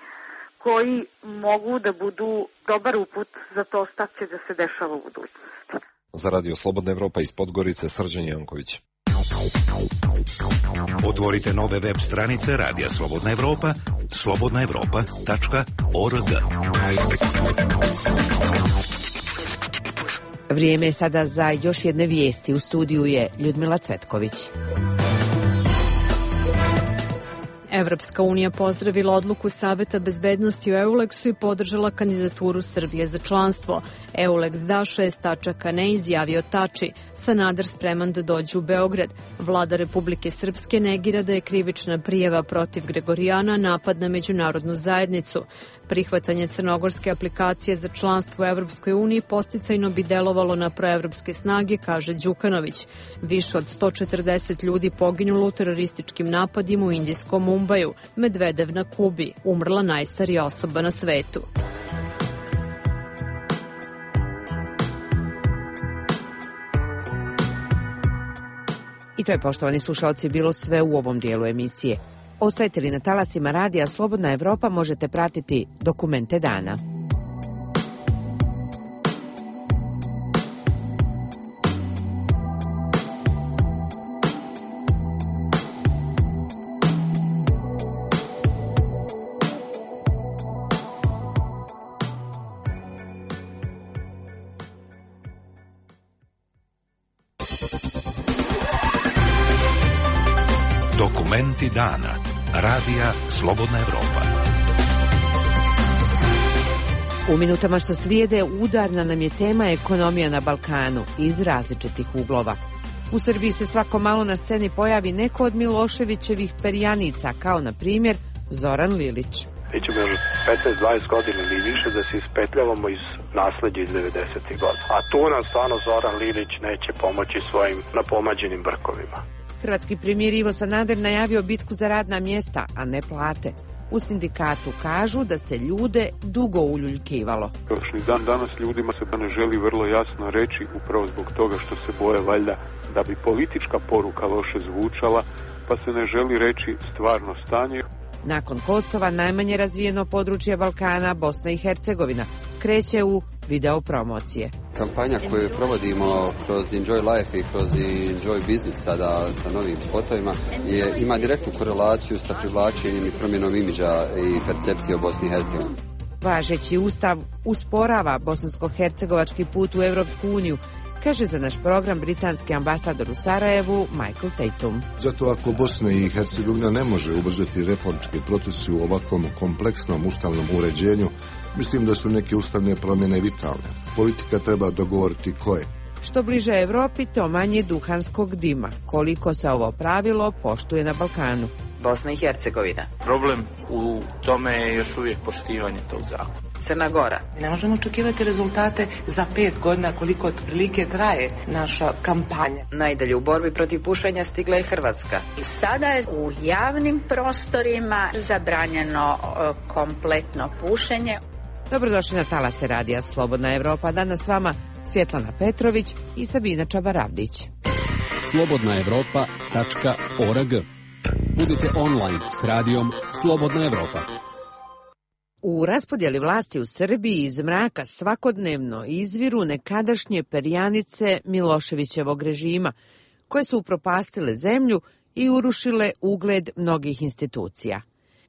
koji mogu da budu dobar uput za to šta će da se dešava u budućnosti. Za Radio Slobodna Evropa iz Podgorice, Srđan Janković. Otvorite nove web stranice Radija Slobodna Evropa, slobodna evropa tačka org. Vrijeme je sada za još jedne vijesti. U studiju je Ljudmila Cvetković. Evropska unija pozdravila odluku Saveta bezbednosti u Euleksu i podržala kandidaturu Srbije za članstvo. Euleks da šest tačaka ne, izjavio Tači. Sanader spreman da dođe u Beograd. Vlada Republike Srpske negira da je krivična prijava protiv Gregorijana napad na međunarodnu zajednicu. Prihvatanje crnogorske aplikacije za članstvo u Evropskoj uniji posticajno bi delovalo na proevropske snage, kaže Đukanović. Više od sto četrdeset ljudi poginulo u terorističkim napadima u indijskom Mumbaju. Medvedev na Kubi, umrla najstarija osoba na svetu. I to je, poštovani slušalci, bilo sve u ovom dijelu emisije. Ostajete li na talasima Radija Slobodna Evropa, možete pratiti Dokumente dana. Dokumenti dana. Radija Slobodna Evropa. U minutama što slijede udarna nam je tema ekonomija na Balkanu iz različitih uglova. U Srbiji se svako malo na sceni pojavi neko od Miloševićevih perjanica, kao na primjer Zoran Lilić. Mi ćemo još petnaest dvadeset godina ili više da se ispetljavamo iz nasleđa iz devedesetih godina. A tu nam stvarno Zoran Lilić neće pomoći svojim napomađenim brkovima. Hrvatski premijer Ivo Sanader najavio bitku za radna mjesta, a ne plate. U sindikatu kažu da se ljude dugo uljuljkivalo. Još ni dan danas ljudima se ne želi vrlo jasno reći, upravo zbog toga što se boje valjda da bi politička poruka loše zvučala, pa se ne želi reći stvarno stanje. Nakon Kosova, najmanje razvijeno područje Balkana, Bosna i Hercegovina, kreće u video promocije. Kampanja koju provodimo kroz Enjoy Life i kroz Enjoy Business sada sa novim spotovima je, ima direktnu korelaciju sa privlačenjem i promjenom imidža i percepcije o Bosni i Hercegovini. Važeći ustav usporava bosansko-hercegovački put u Evropsku uniju, kaže za naš program britanski ambasador u Sarajevu Michael Tatum. Zato ako Bosna i Hercegovina ne može ubrzati reformske procese u ovakvom kompleksnom ustavnom uređenju, mislim da su neke ustavne promjene vitalne. Politika treba dogovoriti koje. Što bliže Evropi, to manje duhanskog dima. Koliko se ovo pravilo poštuje na Balkanu? Bosna i Hercegovina. Problem u tome je još uvijek poštivanje tog zakona. Crna Gora. Ne možemo očekivati rezultate za pet godina koliko otprilike traje naša kampanja. Najdalje u borbi protiv pušenja stigla je Hrvatska. Sada je u javnim prostorima zabranjeno kompletno pušenje. Dobrodošli na talase radija Slobodna Evropa. Danas s vama Svjetlana Petrović i Sabina Čabaravdić. slobodna evropa tačka org. Budite online s radijom Slobodna Evropa. U raspodjeli vlasti u Srbiji iz mraka svakodnevno izviru nekadašnje perjanice Miloševićevog režima, koje su upropastile zemlju i urušile ugled mnogih institucija.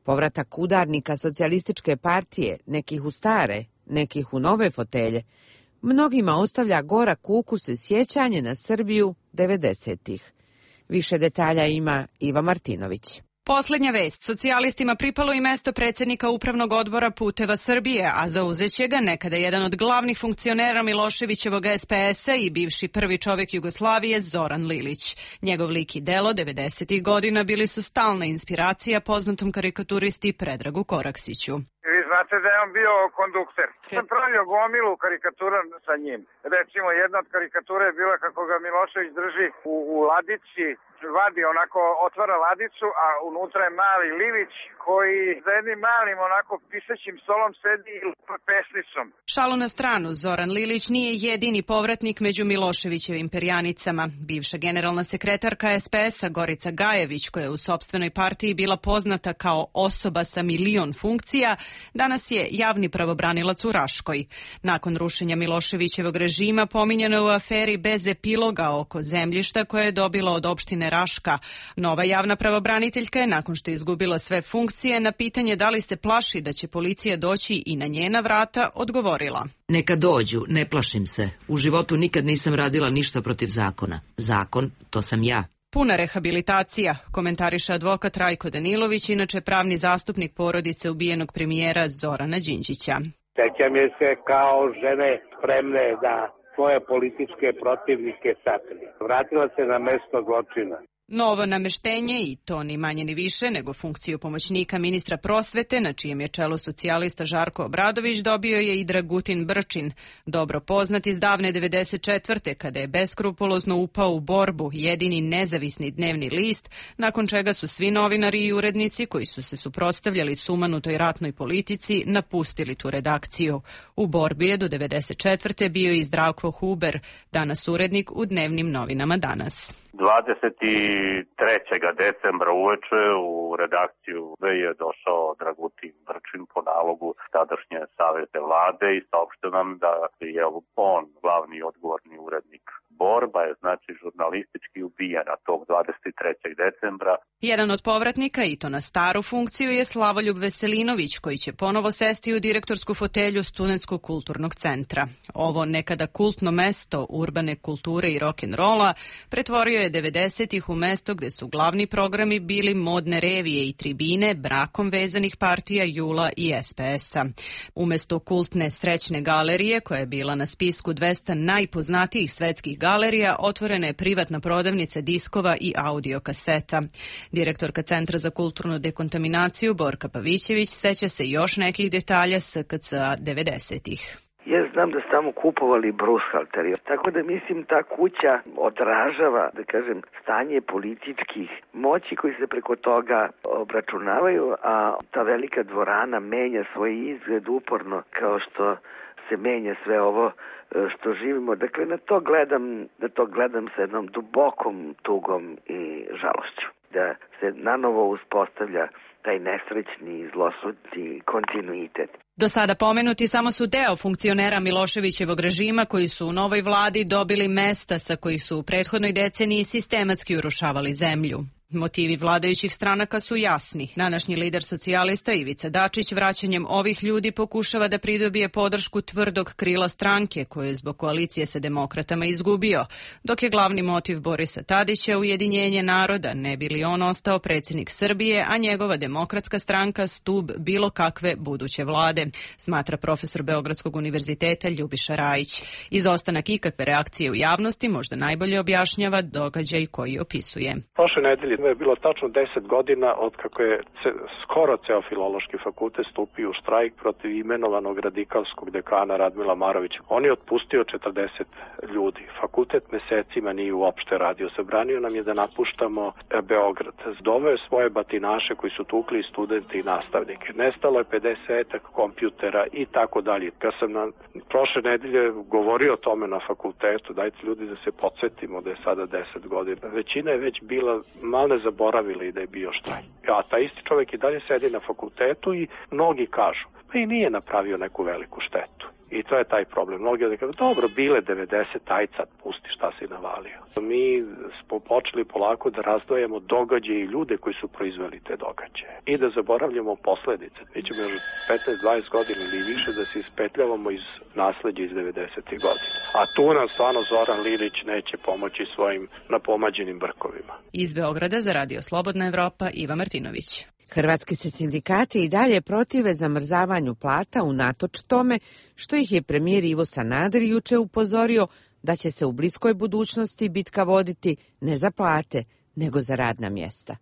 Povratak udarnika socijalističke partije, nekih u stare, nekih u nove fotelje, mnogima ostavlja gorak ukus i sjećanje na Srbiju devedesetih. Više detalja ima Iva Martinović. Poslednja vest. Socijalistima pripalo i mesto predsjednika Upravnog odbora Puteva Srbije, a zauzeće ga nekada jedan od glavnih funkcionera Miloševićevog es pe es-a i bivši prvi čovjek Jugoslavije Zoran Lilić. Njegov lik i delo devedesetih godina bili su stalna inspiracija poznatom karikaturisti Predragu Koraksiću. Vi znate da je on bio kondukter. Sam pravio gomilu karikatura sa njim. Recimo, jedna od karikatura je bila kako ga Milošević drži u, u ladici, vadi onako, otvara ladicu, a unutra je mali Lilić koji za jednim malim onako pisaćim stolom sedi i lupa pesnicom. Šalu na stranu, Zoran Lilić nije jedini povratnik među Miloševićevim perjanicama. Bivša generalna sekretarka es pe es-a Gorica Gajević, koja je u sopstvenoj partiji bila poznata kao osoba sa milion funkcija, danas je javni pravobranilac u Raškoj. Nakon rušenja Miloševićevog režima pominjeno je u aferi bez epiloga oko zemljišta koje je dobila od opštine Raška. Nova javna pravobraniteljka je, nakon što je izgubila sve funkcije, na pitanje da li se plaši da će policija doći i na njena vrata, odgovorila. Neka dođu, ne plašim se. U životu nikad nisam radila ništa protiv zakona. Zakon, to sam ja. Puna rehabilitacija, komentariše advokat Rajko Danilović, inače pravni zastupnik porodice ubijenog premijera Zorana Đinđića. Sećam je se kao žene spremne da svoje političke protivnike sakrije. Vratila se na mesto zločina. Novo nameštenje, i to ni manje ni više nego funkciju pomoćnika ministra prosvete, na čijem je čelu socijalista Žarko Obradović, dobio je i Dragutin Brčin, dobro poznat iz davne devedeset četvrte kada je beskrupulozno upao u Borbu, jedini nezavisni dnevni list, nakon čega su svi novinari i urednici koji su se suprotstavljali sumanutoj ratnoj politici napustili tu redakciju. U Borbi je do devedeset četvrte bio i Zdravko Huber, danas urednik u dnevnim novinama Danas. dvadeset trećeg decembra uveče u redakciju je došao Dragutin Brčin po nalogu tadašnje savete vlade i saopštio nam da je on glavni odgovorni urednik Borba, je znači žurnalistički ubijena tog dvadeset trećeg decembra. Jedan od povratnika i to na staru funkciju je Slavoljub Veselinović, koji će ponovo sesti u direktorsku fotelju Studentskog kulturnog centra. Ovo nekada kultno mesto urbane kulture i rock'n'rolla pretvorio je devedesetih u mesto gde su glavni programi bili modne revije i tribine brakom vezanih partija Jula i es pe es-a. Umesto kultne Srećne galerije, koja je bila na spisku dvesta najpoznatijih svetskih galerija, otvorena je privatna prodavnica diskova i audio kaseta. Direktorka Centra za kulturnu dekontaminaciju Borka Pavićević seća se još nekih detalja es ka ce a devedesetih. Ja znam da su tamo kupovali brushalteri, tako da mislim ta kuća odražava, da kažem, stanje političkih moći koji se preko toga obračunavaju, a ta velika dvorana menja svoj izgled uporno kao što se menja sve ovo što živimo. Dakle, na to gledam, na to gledam sa jednom dubokom tugom i žalošću. Da se nanovo uspostavlja taj nesrećni, zlosudni kontinuitet. Do sada pomenuti samo su deo funkcionera Miloševićevog režima koji su u novoj vladi dobili mesta sa kojih su u prethodnoj deceniji sistematski urušavali zemlju. Motivi vladajućih stranaka su jasni. Današnji lider socijalista Ivica Dačić vraćanjem ovih ljudi pokušava da pridobije podršku tvrdog krila stranke koje je zbog koalicije sa demokratama izgubio, dok je glavni motiv Borisa Tadića ujedinjenje naroda, ne bi li on ostao predsjednik Srbije, a njegova demokratska stranka stub bilo kakve buduće vlade, smatra profesor Beogradskog univerziteta Ljubiša Rajić. Izostanak ikakve reakcije u javnosti možda najbolje objašnjava događaj koji opisuje. Prošle nedelje je bilo tačno deset godina od kako je ce, skoro ceo filološki fakultet stupio u štrajk protiv imenovanog radikalskog dekana Radmila Marovića. On je otpustio četrdeset ljudi. Fakultet mesecima nije uopšte radio. Zabranio nam je da napuštamo Beograd. Doveo je svoje batinaše koji su tukli studente i nastavnike. Nestalo je pedeset kompjutera i tako dalje. Kad sam na prošle nedelje govorio o tome na fakultetu, dajte ljudi da se podsjetimo da je sada deset godina. Većina je već bila malo ne zaboravili da je bio štrajk. A ta isti čovjek i dalje sedi na fakultetu i mnogi kažu, pa i nije napravio neku veliku štetu. I to je taj problem. Mnogi da kažu, dobro, bile devedeset, aj sad pusti šta si navalio. Mi smo počeli polako da razdvajamo događaje i ljude koji su proizveli te događaje. I da zaboravljamo posledice. Mi ćemo još petnaest dvadeset godina ili više da se ispetljavamo iz nasleđa iz devedesetih godina. A tu nam stvarno Zoran Lilić neće pomoći svojim napomađenim brkovima. Iz Beograda za Radio Slobodna Evropa, Iva Martinović. Hrvatski se sindikati i dalje protive zamrzavanju plata unatoč tome što ih je premijer Ivo Sanader juče upozorio da će se u bliskoj budućnosti bitka voditi ne za plate, nego za radna mjesta.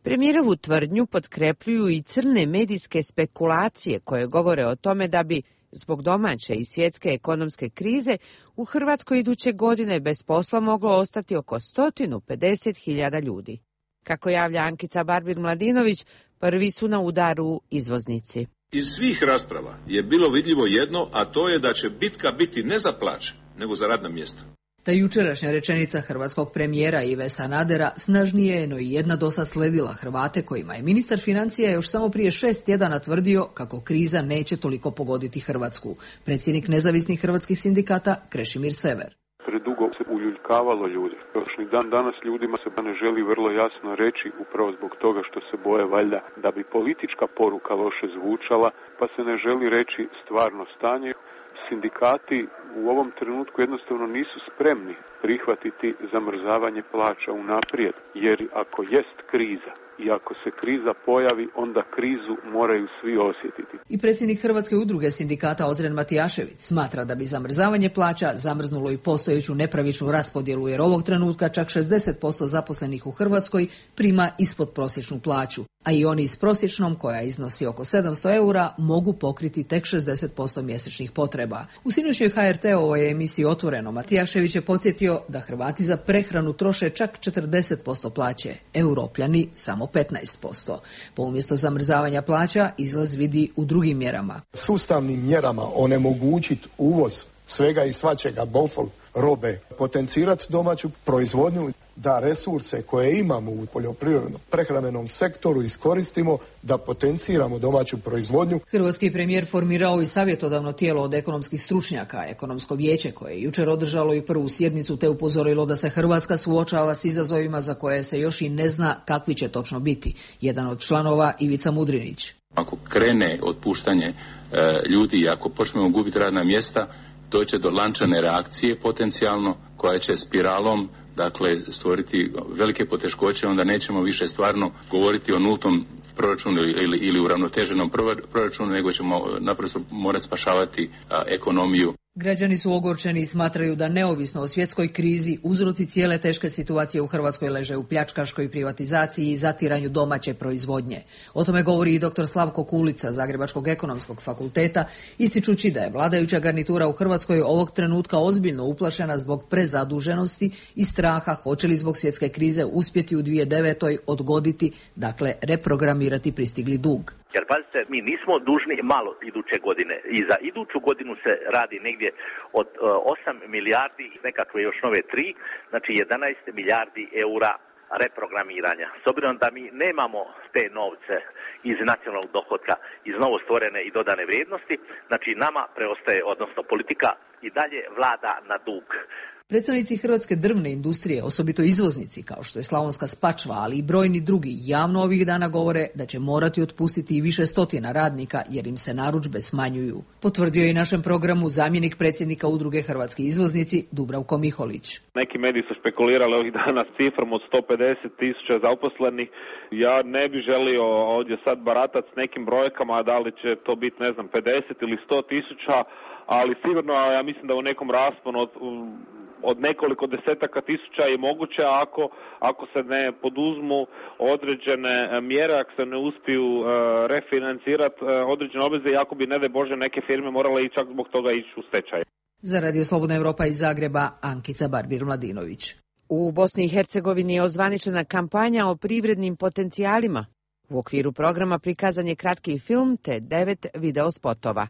Premijerovu tvrdnju potkrepljuju i crne medijske spekulacije koje govore o tome da bi, zbog domaće i svjetske ekonomske krize, u Hrvatskoj iduće godine bez posla moglo ostati oko sto pedeset hiljada ljudi. Kako javlja Ankica Barbir-Mladinović, prvi su na udaru izvoznici. Iz svih rasprava je bilo vidljivo jedno, a to je da će bitka biti ne za plaće, nego za radna mjesta. Ta jučerašnja rečenica hrvatskog premijera Ive Sanadera snažnije je no i jedna dosad sledila Hrvate kojima je ministar financija još samo prije šest tjedana tvrdio kako kriza neće toliko pogoditi Hrvatsku. Predsjednik nezavisnih hrvatskih sindikata Krešimir Sever. Predugo se uljuljkavalo ljudi. Još ni dan danas ljudima se ne želi vrlo jasno reći upravo zbog toga što se boje valjda da bi politička poruka loše zvučala, pa se ne želi reći stvarno stanje. Sindikati u ovom trenutku jednostavno nisu spremni prihvatiti zamrzavanje plaća unaprijed, jer ako jest kriza i ako se kriza pojavi, onda krizu moraju svi osjetiti. I predsjednik Hrvatske udruge sindikata Ozren Matijašević smatra da bi zamrzavanje plaća zamrznulo i postojeću nepravičnu raspodjelu, jer ovog trenutka čak šezdeset posto zaposlenih u Hrvatskoj prima ispod prosječnu plaću, a i oni s prosječnom, koja iznosi oko sedamsto eura, mogu pokriti tek šezdeset posto mjesečnih potreba. U sinoćnjoj ha er te-ovoj emisiji Otvoreno Matijašević je podsjetio da Hrvati za prehranu troše čak četrdeset posto plaće, Europljani samo petnaest posto. Po umjesto zamrzavanja plaća izlaz vidi u drugim mjerama. Sustavnim mjerama onemogućiti uvoz svega i svačega, bofol, robe, potencirati domaću proizvodnju. da resurse koje imamo u poljoprivrednom prehrambenom sektoru iskoristimo, da potenciramo domaću proizvodnju. Hrvatski premijer formirao i savjetodavno tijelo od ekonomskih stručnjaka, Ekonomsko vijeće, koje je jučer održalo i prvu sjednicu te upozorilo da se Hrvatska suočava s izazovima za koje se još i ne zna kakvi će točno biti. Jedan od članova, Ivica Mudrinić. Ako krene otpuštanje e, ljudi i ako počnemo gubiti radna mjesta, doće do lančane reakcije potencijalno koja će spiralom dakle stvoriti velike poteškoće, onda nećemo više stvarno govoriti o nultom proračunu ili, ili uravnoteženom proračunu, nego ćemo naprosto morati spašavati a, ekonomiju. Građani su ogorčeni i smatraju da neovisno o svjetskoj krizi, uzroci cijele teške situacije u Hrvatskoj leže u pljačkaškoj privatizaciji i zatiranju domaće proizvodnje. O tome govori i doktor Slavko Kulica, Zagrebačkog ekonomskog fakulteta, ističući da je vladajuća garnitura u Hrvatskoj ovog trenutka ozbiljno uplašena zbog prezaduženosti i straha hoće li zbog svjetske krize uspjeti u dvije tisuće devetoj odgoditi, dakle reprogramirati pristigli dug. Jer pazite, mi nismo dužni malo iduće godine i za iduću godinu se radi negdje od uh, osam milijardi, nekakve još nove tri, znači jedanaest milijardi eura reprogramiranja. S obzirom da mi nemamo te novce iz nacionalnog dohotka, iz novo stvorene i dodane vrijednosti, znači nama preostaje, odnosno politika i dalje vlada na dug. Predstavnici hrvatske drvne industrije, osobito izvoznici kao što je Slavonska Spačva, ali i brojni drugi, javno ovih dana govore da će morati otpustiti i više stotina radnika jer im se narudžbe smanjuju. Potvrdio je i našem programu zamjenik predsjednika udruge Hrvatski izvoznici Dubravko Miholić. Neki mediji su špekulirali ovih dana s cifrom od sto pedeset tisuća zaposlenih. Ja ne bih želio ovdje sad baratati s nekim brojkama, da li će to biti, ne znam, pedeset ili sto tisuća, ali sigurno ja mislim da u nekom rasponu od od nekoliko desetaka tisuća je moguće ako, ako se ne poduzmu određene mjere, ako se ne uspiju uh, refinancirati uh, određene obveze i ako bi, ne daj Bože, neke firme morale i čak zbog toga ići u stečaj. Za Radio Slobodna Evropa iz Zagreba, Ankica Barbir-Mladinović. U Bosni i Hercegovini je ozvaničena kampanja o privrednim potencijalima. U okviru programa prikazan je kratki film te devet videospotova.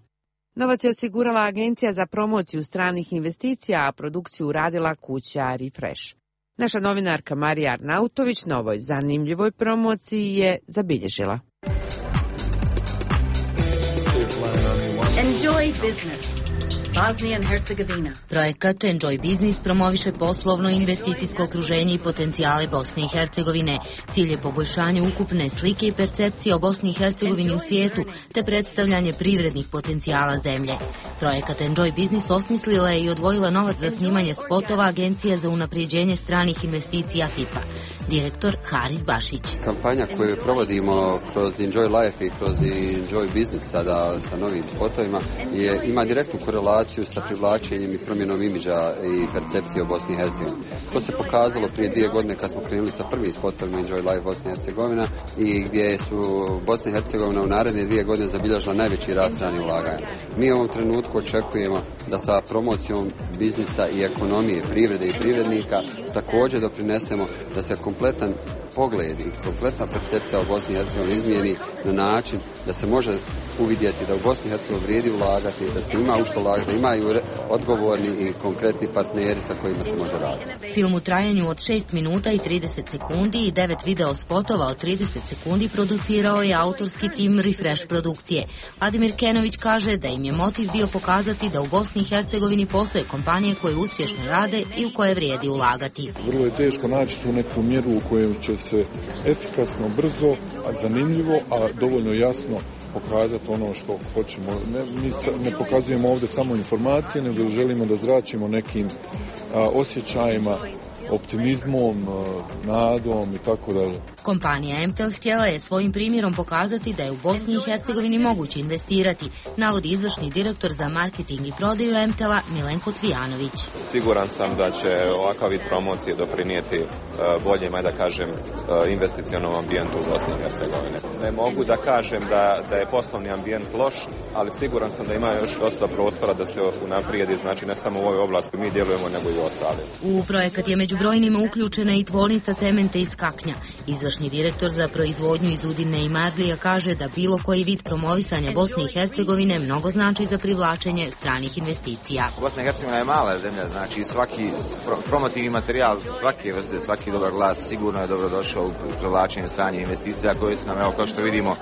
Novac je osigurala Agencija za promociju stranih investicija, a produkciju radila kuća Refresh. Naša novinarka Marija Arnautović na ovoj zanimljivoj promociji je zabilježila. Enjoy business. Bosnia and Herzegovina. Projekat Enjoy Business promoviše poslovno investicijsko okruženje i potencijale Bosne i Hercegovine. Cilj je poboljšanje ukupne slike i percepcije o Bosni i Hercegovini u svijetu, te predstavljanje privrednih potencijala zemlje. Projekat Enjoy Business osmislila je i odvojila novac za snimanje spotova Agencije za unapređenje stranih investicija F I P A. Direktor Haris Bašić. Kampanja koju provodimo kroz Enjoy Life i kroz Enjoy Business sada sa novim spotovima je, ima direktnu korelaciju sa privlačenjem i promjenom imidža i percepcije o Bosni i Hercegovini. To se pokazalo prije dvije godine kad smo krenuli sa prvim spotovima Enjoy Life Bosna i Hercegovina i gdje su Bosna i Hercegovina u naredne dvije godine zabilježila najveći rast stranih ulaganja. Mi u ovom trenutku očekujemo da sa promocijom biznisa i ekonomije, privrede i privrednika također doprinesemo da se kompletan pogled i kompletna percepcija o Bosni i Hercegovini izmijeni na način da se može uvidjeti da u Bosni i Hercegovini vrijedi ulagati, da se ima u što ulagati, da imaju odgovorni i konkretni partneri sa kojima se može raditi. Film u trajanju od šest minuta i trideset sekundi i devet video spotova od trideset sekundi producirao je autorski tim Refresh produkcije. Ademir Kenović kaže da im je motiv bio pokazati da u Bosni i Hercegovini postoje kompanije koje uspješno rade i u koje vrijedi ulagati. Vrlo je teško naći tu neku mjeru u kojoj će se efikasno, brzo, a zanimljivo, a dovoljno jasno pokazati ono što hoćemo. Ne, mi ne pokazujemo ovdje samo informacije, nego želimo da zračimo nekim a, osjećajima, optimizmom, nadom i tako dalje. Kompanija Emtel htjela je svojim primjerom pokazati da je u Bosni i Hercegovini moguće investirati, navodi izvršni direktor za marketing i prodaju Emtela Milenko Cvijanović. Siguran sam da će ovakav vid promocije doprinijeti boljem, da kažem, investicionom ambijentu u Bosni i Hercegovini. Ne mogu da kažem da, da je poslovni ambijent loš, ali siguran sam da ima još dosta prostora da se unaprijedi, znači ne samo u ovoj oblasti mi djelujemo, nego i ostali. U projekat je među brojnima uključena i tvornica cementa iz Kaknja. Izvršni Izvršni direktor za proizvodnju iz Udine i Marlija kaže da bilo koji vid promovisanja Bosne i Hercegovine mnogo znači za privlačenje stranih investicija. Bosna i Hercegovina je mala zemlja, znači svaki promotivni materijal, svake vrste, svaki dobar glas sigurno je dobrodošao u privlačenju stranih investicija koje su nam, evo, kao što vidimo,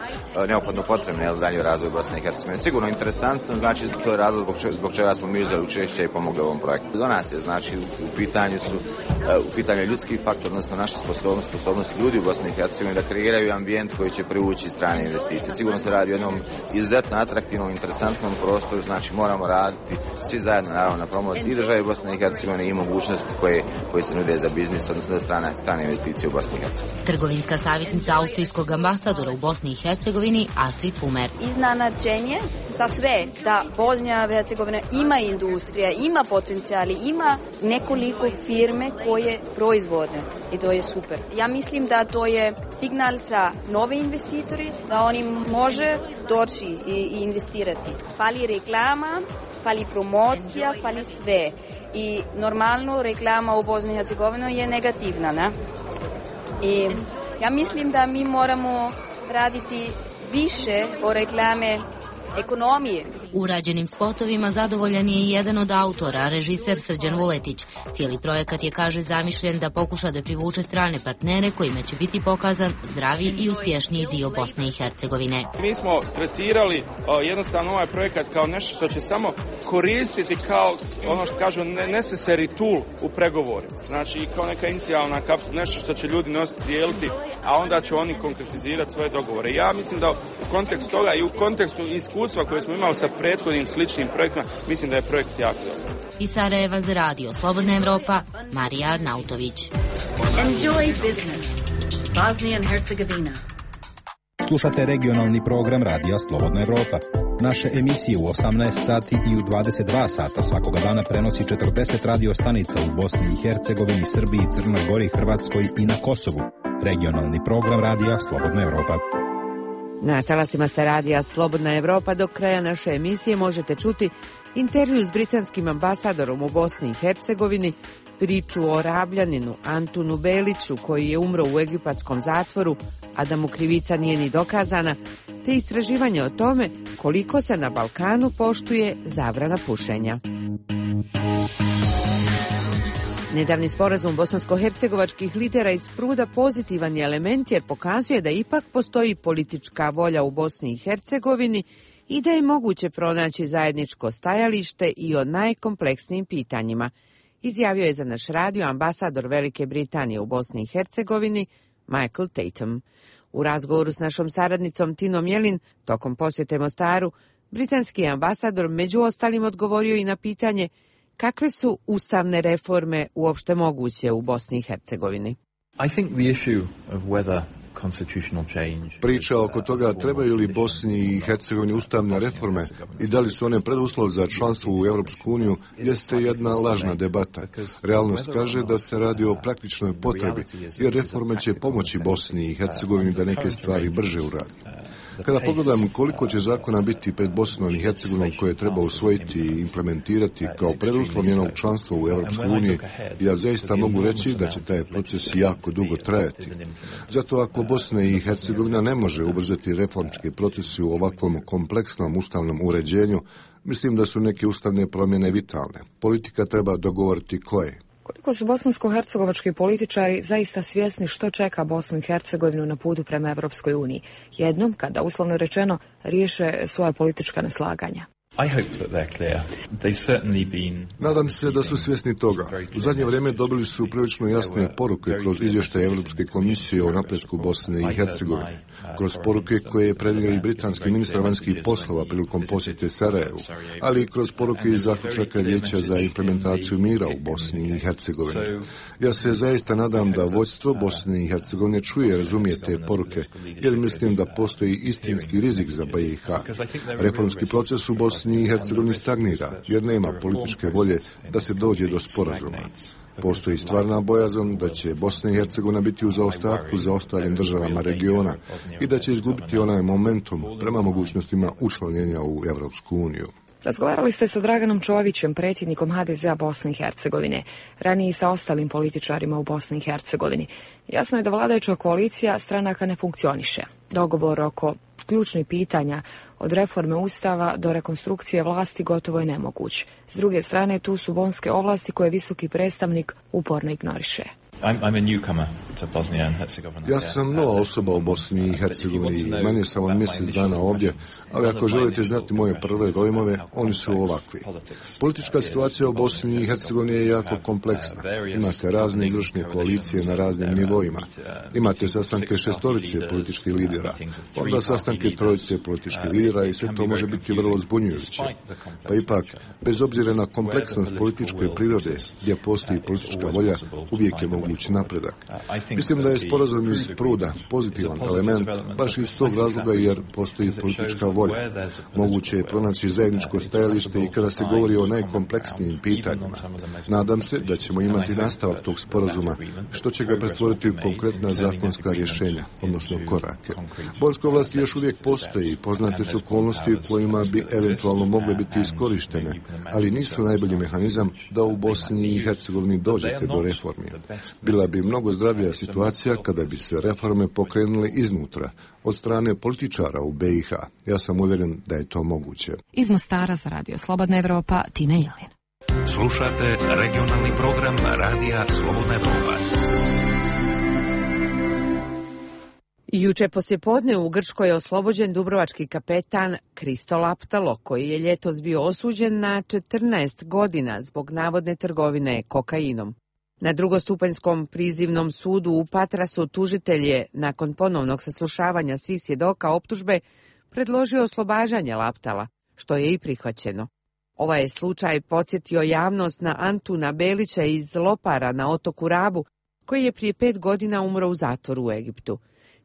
neophodno potrebne za dalji razvoj Bosne i Hercegovine. Sigurno interesantno, znači to je razlog zbog, če, zbog čega smo mi uzeli učešće i pomogli ovom projektu. Do nas je, znači, u, u pitanju su u pitanju ljudski faktor, odnosno naša sposobnost, sposobnost ljudi u Bosni i Hercegovini da kreiraju ambijent koji će privući strane investicije. Sigurno se radi o jednom izuzetno atraktivnom, interesantnom prostoru, znači moramo raditi svi zajedno, naravno, na promociji i države Bosne i Hercegovine i mogućnosti koje, koje se nude za biznis, odnosno za strane, strane investicije u Bosni i Hercegovini. Trgovinska savjetnica austrijskog ambasadora u Bosni i Hercegovini Astrid Pumer. Iznenađenje za sve da Bosna i Hercegovina ima industrija, ima potencijali, ima nekoliko firme koje proizvodne i to je super. Ja mislim da to je signal za nove investitori da oni može doći i, i investirati. Fali reklama, fali promocija, fali sve. I normalno reklama u Bosni i Hercegovini je negativna, ne? I ja mislim da mi moramo raditi više o reklame ekonomije. Urađenim spotovima zadovoljan je i jedan od autora, režiser Srđan Vuletić. Cijeli projekat je, kaže, zamišljen da pokuša da privuče strane partnere kojima će biti pokazan zdravi i uspješniji dio Bosne i Hercegovine. Mi smo tretirali o, jednostavno ovaj projekat kao nešto što će samo koristiti kao ono što kažu necessary tool u pregovoru. Znači kao neka inicijalna kapsula, nešto što će ljudi nositi, dijeliti, a onda će oni konkretizirati svoje dogovore. Ja mislim da u kontekstu toga i u kontekstu iskustva koje smo imali sa prethodnim sličnim projektima, mislim da je projekt jako dobar. Iz Sarajeva za radio Slobodna Evropa, Marija Arnautović. Enjoy business. Bosnia and Herzegovina. Slušate regionalni program Radija Slobodna Evropa. Naše emisije u osamnaest sati i u dvadeset dva sata svakoga dana prenosi četrdeset radio stanica u Bosni i Hercegovini, Srbiji, Crnoj Gori, Hrvatskoj i na Kosovu. Regionalni program Radija Slobodna Evropa. Na talasima ste radija Slobodna Evropa. Do kraja naše emisije možete čuti intervju s britanskim ambasadorom u Bosni i Hercegovini, priču o Rabljaninu Antunu Beliću koji je umro u egipatskom zatvoru, a da mu krivica nije ni dokazana, te istraživanje o tome koliko se na Balkanu poštuje zabrana pušenja. Nedavni sporazum bosansko-hercegovačkih lidera iz Pruda pozitivan je element jer pokazuje da ipak postoji politička volja u Bosni i Hercegovini i da je moguće pronaći zajedničko stajalište i o najkompleksnijim pitanjima, izjavio je za naš radio ambasador Velike Britanije u Bosni i Hercegovini Michael Tatum. U razgovoru s našom saradnicom Tinom Jelin tokom posjete Mostaru, britanski ambasador među ostalim odgovorio i na pitanje kakve su ustavne reforme uopšte moguće u Bosni i Hercegovini. I think the issue of whether Priča oko toga trebaju li Bosni i Hercegovini ustavne reforme i da li su one preduslov za članstvo u Europsku uniju jeste jedna lažna debata. Realnost kaže da se radi o praktičnoj potrebi jer reforme će pomoći Bosni i Hercegovini da neke stvari brže uradi. Kada pogledam koliko će zakona biti pred Bosnom i Hercegovinom koje treba usvojiti i implementirati kao preduslov njenog članstva u Europskoj uniji, ja zaista mogu reći da će taj proces jako dugo trajati. Zato ako Bosna i Hercegovina ne može ubrzati reformske procese u ovakvom kompleksnom ustavnom uređenju, mislim da su neke ustavne promjene vitalne. Politika treba dogovoriti koje. Koliko su bosansko-hercegovački političari zaista svjesni što čeka Bosnu i Hercegovinu na putu prema Evropskoj uniji, jednom kada, uslovno rečeno, riješe svoja politička neslaganja? Nadam se da su svjesni toga. U zadnje vrijeme dobili su prilično jasne poruke kroz izvještaje Europske komisije o napretku Bosne i Hercegovine, kroz poruke koje je prenio i britanski ministar vanjskih poslova prilikom posjete Sarajevu, ali i kroz poruke iz zaključaka Vijeća za implementaciju mira u Bosni i Hercegovini. Ja se zaista nadam da vodstvo Bosne i Hercegovine čuje i razumije te poruke, jer mislim da postoji istinski rizik za B i H. Reformski proces u Bosni i Hercegovini stagnira, jer nema političke volje da se dođe do sporazuma. Postoji stvarna bojazan da će Bosna i Hercegovina biti u zaostatku za ostalim državama regiona i da će izgubiti onaj momentum prema mogućnostima učlanjenja u Evropsku uniju. Razgovarali ste sa Draganom Čovićem, predsjednikom ha de zea Bosne i Hercegovine, ranije i sa ostalim političarima u Bosni i Hercegovini. Jasno je da vladajuća koalicija stranaka ne funkcioniše. Dogovor oko ključnih pitanja, od reforme ustava do rekonstrukcije vlasti, gotovo je nemoguć. S druge strane, tu su bonske ovlasti koje visoki predstavnik uporno ignoriše. Ja sam nova osoba u Bosni i Hercegovini, manje sam od mjesec dana ovdje, ali ako želite znati moje prve dojmove, oni su ovakvi. Politička situacija u Bosni i Hercegovini je jako kompleksna. Imate razne izvršne koalicije na raznim nivoima. Imate sastanke šestorice političkih lidera, onda sastanke trojice političkih lidera i sve to može biti vrlo zbunjujuće. Pa ipak, bez obzira na kompleksnost političke prirode, gdje postoji politička volja, uvijek je moguć napredak. Mislim da je sporazum iz Pruda pozitivan element, baš iz tog razloga jer postoji politička volja. Moguće je pronaći zajedničko stajalište i kada se govori o najkompleksnijim pitanjima. Nadam se da ćemo imati nastavak tog sporazuma, što će ga pretvoriti u konkretna zakonska rješenja, odnosno korake. Bonske ovlasti još uvijek postoji i poznate su okolnosti u kojima bi eventualno mogle biti iskorištene, ali nisu najbolji mehanizam da u Bosni i Hercegovini dođete do reformi. Bila bi mnogo zdravija situacija kada bi se reforme pokrenule iznutra, od strane političara u be i ha. Ja sam uvjeren da je to moguće. Iz Mostara za Radio Slobodna Evropa, Tina Jelin. Slušate regionalni program Radija Slobodna Evropa. Juče poslijepodne u Grčkoj je oslobođen dubrovački kapetan Kristo Laptalo, koji je ljetos bio osuđen na četrnaest godina zbog navodne trgovine kokainom. Na drugostupanjskom prizivnom sudu u Patrasu tužitelj je, nakon ponovnog saslušavanja svih svjedoka optužbe, predložio oslobađanje Laptala, što je i prihvaćeno. Ovaj je slučaj podsjetio javnost na Antuna Belića iz Lopara na otoku Rabu, koji je prije pet godina umro u zatvoru u Egiptu.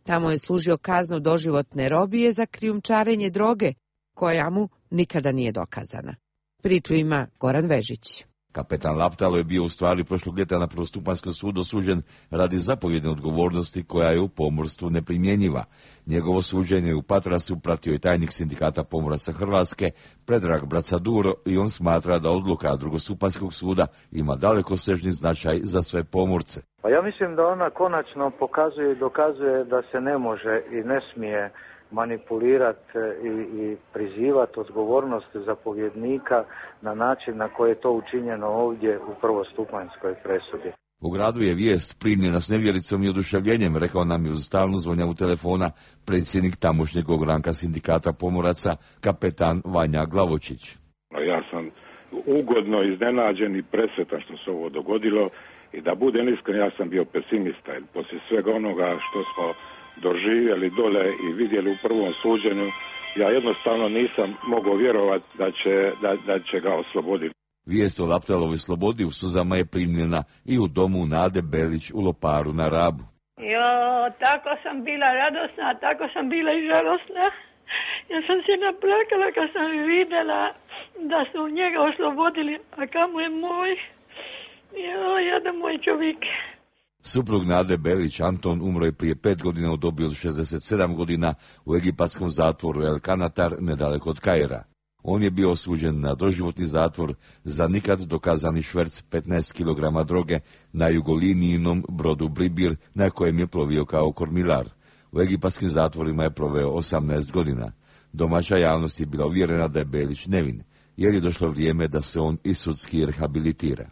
Tamo je služio kaznu doživotne robije za krijumčarenje droge, koja mu nikada nije dokazana. Priču ima Goran Vežić. Kapetan Laptalo je bio u stvari prošlog ljeta na prvostupanjskom sudu osuđen radi zapovjedne odgovornosti koja je u pomorstvu neprimjenjiva. Njegovo suđenje u Patrasu pratio je tajnik sindikata pomoraca Hrvatske, Predrag Bracaduro, i on smatra da odluka drugostupanjskog suda ima dalekosežni značaj za sve pomorce. Pa ja mislim da ona konačno pokazuje i dokazuje da se ne može i ne smije manipulirati i, i prizivati odgovornost zapovjednika na način na koji je to učinjeno ovdje u prvostupanjskoj presudi. U gradu je vijest primljena s nevjericom i oduševljenjem, rekao nam je uz stalnu zvonjavu telefona predsjednik tamošnjeg ogranka sindikata pomoraca, kapetan Vanja Glavočić. Ja sam ugodno iznenađen i presretan što se ovo dogodilo i da budem iskren, ja sam bio pesimista. Poslije svega onoga što smo doživjeli dole i vidjeli u prvom suđenju, ja jednostavno nisam mogao vjerovati da će, da, da će ga osloboditi. Vijest o Laptalovoj slobodi u suzama je primljena i u domu Nade Belić u Loparu na Rabu. Jo, tako sam bila radosna, tako sam bila i žalosna. Ja sam se naplakala kad sam vidjela da su njega oslobodili, a kamo je moj? Jo, jedan moj čovjek. Suprug Nade Belić, Anton, umro je prije pet godina u dobi od šezdeset sedam godina u egipatskom zatvoru El Kanatar, nedaleko od Kaira. On je bio osuđen na doživotni zatvor za nikad dokazani šverc petnaest kilograma droge na jugolinijnom brodu Bribir, na kojem je plovio kao kormilar. U egipatskim zatvorima je proveo osamnaest godina. Domaća javnost je bila uvjerena da je Belić nevin, jer je došlo vrijeme da se on i sudski rehabilitira.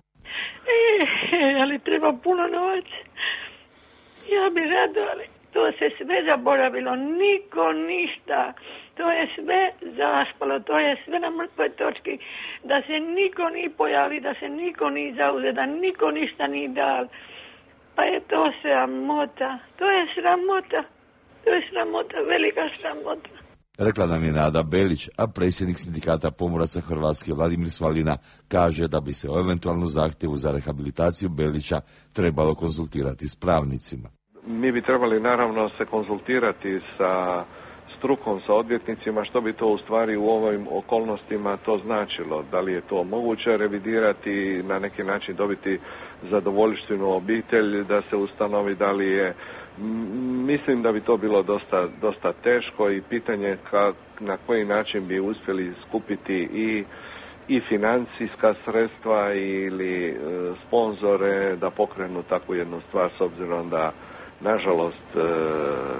E, ali treba puno novaca. Ja bi rado, ali to se sve zaboravilo, niko ništa. To je sve zaspalo, to je sve na mrtvoj točki. Da se niko ni pojavi, da se niko ni zauze, da niko ništa ni dal. Pa je to sramota, to je sramota, to je sramota, velika sramota. Rekla nam je Nada Belić, a predsjednik sindikata pomoraca Hrvatske Vladimir Svalina kaže da bi se o eventualnu zahtjevu za rehabilitaciju Belića trebalo konzultirati s pravnicima. Mi bi trebali naravno se konzultirati sa strukom, sa odvjetnicima, što bi to u stvari u ovim okolnostima to značilo. Da li je to moguće revidirati, na neki način dobiti zadovoljštinu obitelj, da se ustanovi da li je. Mislim da bi to bilo dosta, dosta teško i pitanje ka, na koji način bi uspjeli skupiti i, i financijska sredstva ili e, sponzore da pokrenu takvu jednu stvar, s obzirom da nažalost e,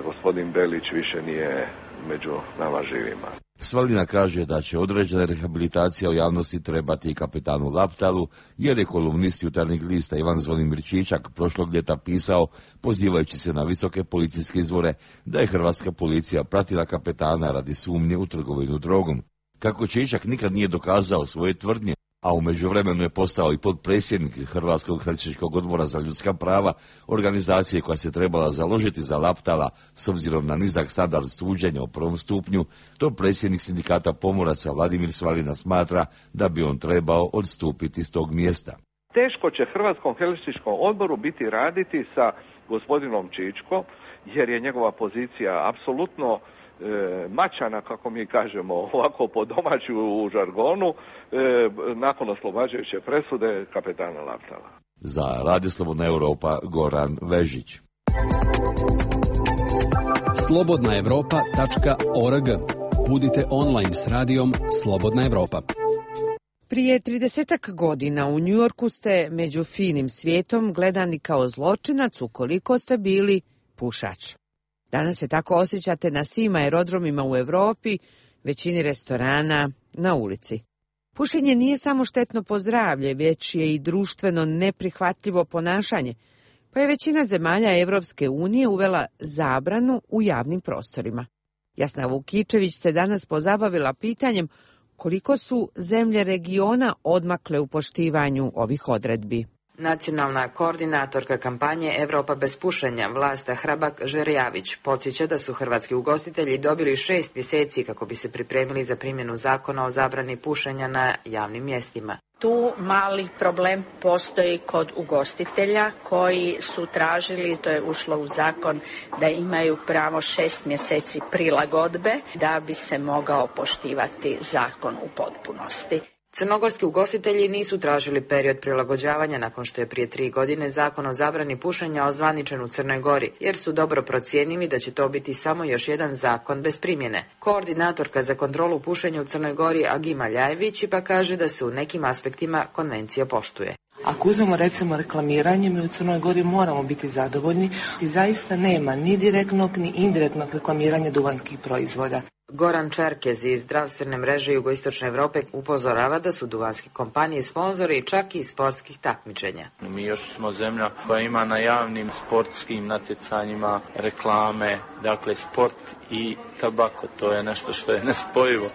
gospodin Belić više nije među nama živima. Svalina kaže da će određena rehabilitacija u javnosti trebati i kapetanu Laptalu, jer je kolumnist Jutarnjeg lista Ivan Zvonimir Čičak prošlog ljeta pisao, pozivajući se na visoke policijske izvore, da je hrvatska policija pratila kapetana radi sumnje u trgovinu drogom. Kako Čičak nikad nije dokazao svoje tvrdnje, a u međuvremenu je postao i potpredsjednik Hrvatskog helsinškog odbora za ljudska prava, organizacije koja se trebala založiti za Laptala s obzirom na nizak standard suđenja u prvom stupnju, to predsjednik sindikata pomoraca Vladimir Svalina smatra da bi on trebao odstupiti s tog mjesta. Teško će Hrvatskom helsinškom odboru biti raditi sa gospodinom Čičkom, jer je njegova pozicija apsolutno E, mačana, kako mi kažemo, ovako po domaću u žargonu, e, nakon oslobađajuće presude kapetana Laptala. Za Radio Slobodna Europa, Goran Vežić. slobodna europa tačka org. Budite online s radijom Slobodna Europa. Prije tridesetak godina u Njujorku ste među finim svijetom gledani kao zločinac ukoliko ste bili pušač. Danas se tako osjećate na svim aerodromima u Europi, većini restorana, na ulici. Pušenje nije samo štetno po zdravlje, već je i društveno neprihvatljivo ponašanje, pa je većina zemalja Evropske unije uvela zabranu u javnim prostorima. Jasna Vukičević se danas pozabavila pitanjem koliko su zemlje regiona odmakle u poštivanju ovih odredbi. Nacionalna koordinatorka kampanje Evropa bez pušenja, Vlasta Hrabak-Žerjavić, podsjeća da su hrvatski ugostitelji dobili šest mjeseci kako bi se pripremili za primjenu zakona o zabrani pušenja na javnim mjestima. Tu mali problem postoji kod ugostitelja koji su tražili, to je ušlo u zakon, da imaju pravo šest mjeseci prilagodbe da bi se mogao poštivati zakon u potpunosti. Crnogorski ugostitelji nisu tražili period prilagođavanja nakon što je prije tri godine zakon o zabrani pušenja ozvaničen u Crnoj Gori, jer su dobro procijenili da će to biti samo još jedan zakon bez primjene. Koordinatorka za kontrolu pušenja u Crnoj Gori Agima Ljajević pa kaže da se u nekim aspektima konvencija poštuje. Ako uzmemo recimo reklamiranje, mi u Crnoj Gori moramo biti zadovoljni i zaista nema ni direktnog ni indirektnog reklamiranja duvanskih proizvoda. Goran Čerkez iz zdravstvene mreže Jugoistočne Europe upozorava da su duvanske kompanije sponzori čak i sportskih takmičenja. Mi još smo zemlja koja ima na javnim sportskim natjecanjima reklame, dakle sport i tabako, to je nešto što je nespojivo.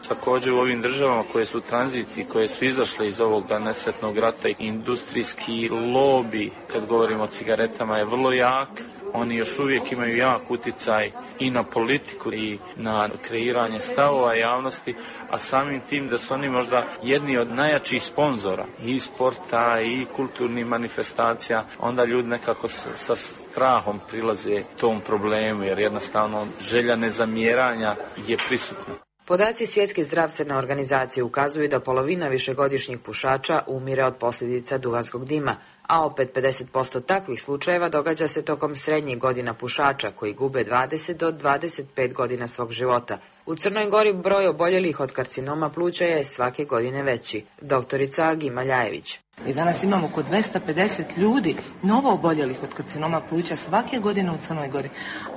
Također u ovim državama koje su u tranziciji, koje su izašle iz ovog nesretnog rata, industrijski lobi, kad govorimo o cigaretama, je vrlo jak. Oni još uvijek imaju jak utjecaj i na politiku i na kreiranje stavova javnosti, a samim tim da su oni možda jedni od najjačih sponzora i sporta i kulturnih manifestacija, onda ljudi nekako sa, sa strahom prilaze tom problemu, jer jednostavno želja nezamjeranja je prisutna. Podaci Svjetske zdravstvene organizacije ukazuju da polovina višegodišnjih pušača umire od posljedica duvanskog dima, a opet pedeset posto takvih slučajeva događa se tokom srednjih godina pušača koji gube dvadeset do dvadeset pet godina svog života. U Crnoj Gori broj oboljelih od karcinoma pluća je svake godine veći. Doktorica Agima Ljajević. I danas imamo oko dvesta pedeset ljudi novo oboljelih od karcinoma pluća svake godine u Crnoj Gori.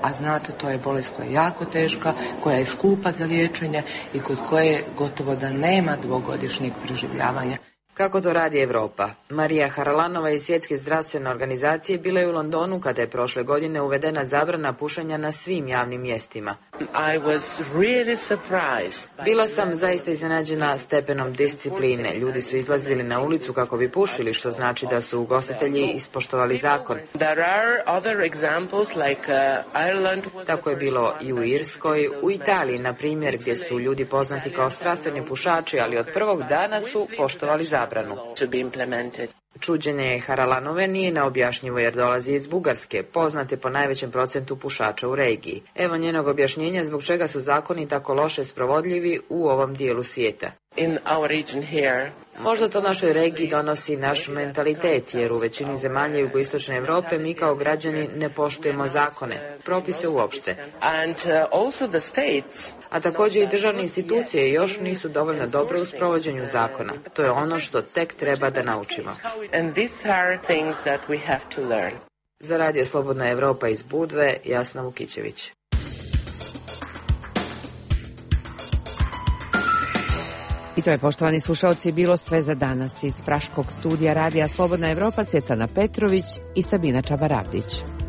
A znate, to je bolest koja je jako teška, koja je skupa za liječenje i kod koje gotovo da nema dvogodišnjeg preživljavanja. Kako to radi Europa? Marija Haralanova iz Svjetske zdravstvene organizacije bila je u Londonu kada je prošle godine uvedena zabrana pušenja na svim javnim mjestima. I was really surprised. Bila sam zaista iznenađena stepenom discipline. Ljudi su izlazili na ulicu kako bi pušili, što znači da su ugostitelji ispoštovali zakon. There are other examples like uh, Ireland. Tako je bilo i u Irskoj, u Italiji, na primjer, gdje su ljudi poznati kao strastveni pušači, ali od prvog dana su poštovali zabranu. Čuđenje Haralanove nije neobjašnjivo jer dolazi iz Bugarske, poznate po najvećem procentu pušača u regiji. Evo njenog objašnjenja zbog čega su zakoni tako loše sprovodljivi u ovom dijelu svijeta. In our region here, Možda to našoj regiji donosi naš mentalitet, jer u većini zemalja jugoistočne Europe mi kao građani ne poštujemo zakone, propise uopšte. and uh, also the states. A također i državne institucije još nisu dovoljno dobre u sprovođenju zakona. To je ono što tek treba da naučimo. And these are things that we have to learn. Za Radio Slobodna Evropa iz Budve, Jasna Vukićević. I to je, poštovani slušalci, bilo sve za danas iz Praškog studija Radija Slobodna Evropa, Svjetlana Petrović i Sabina Čabaravdić.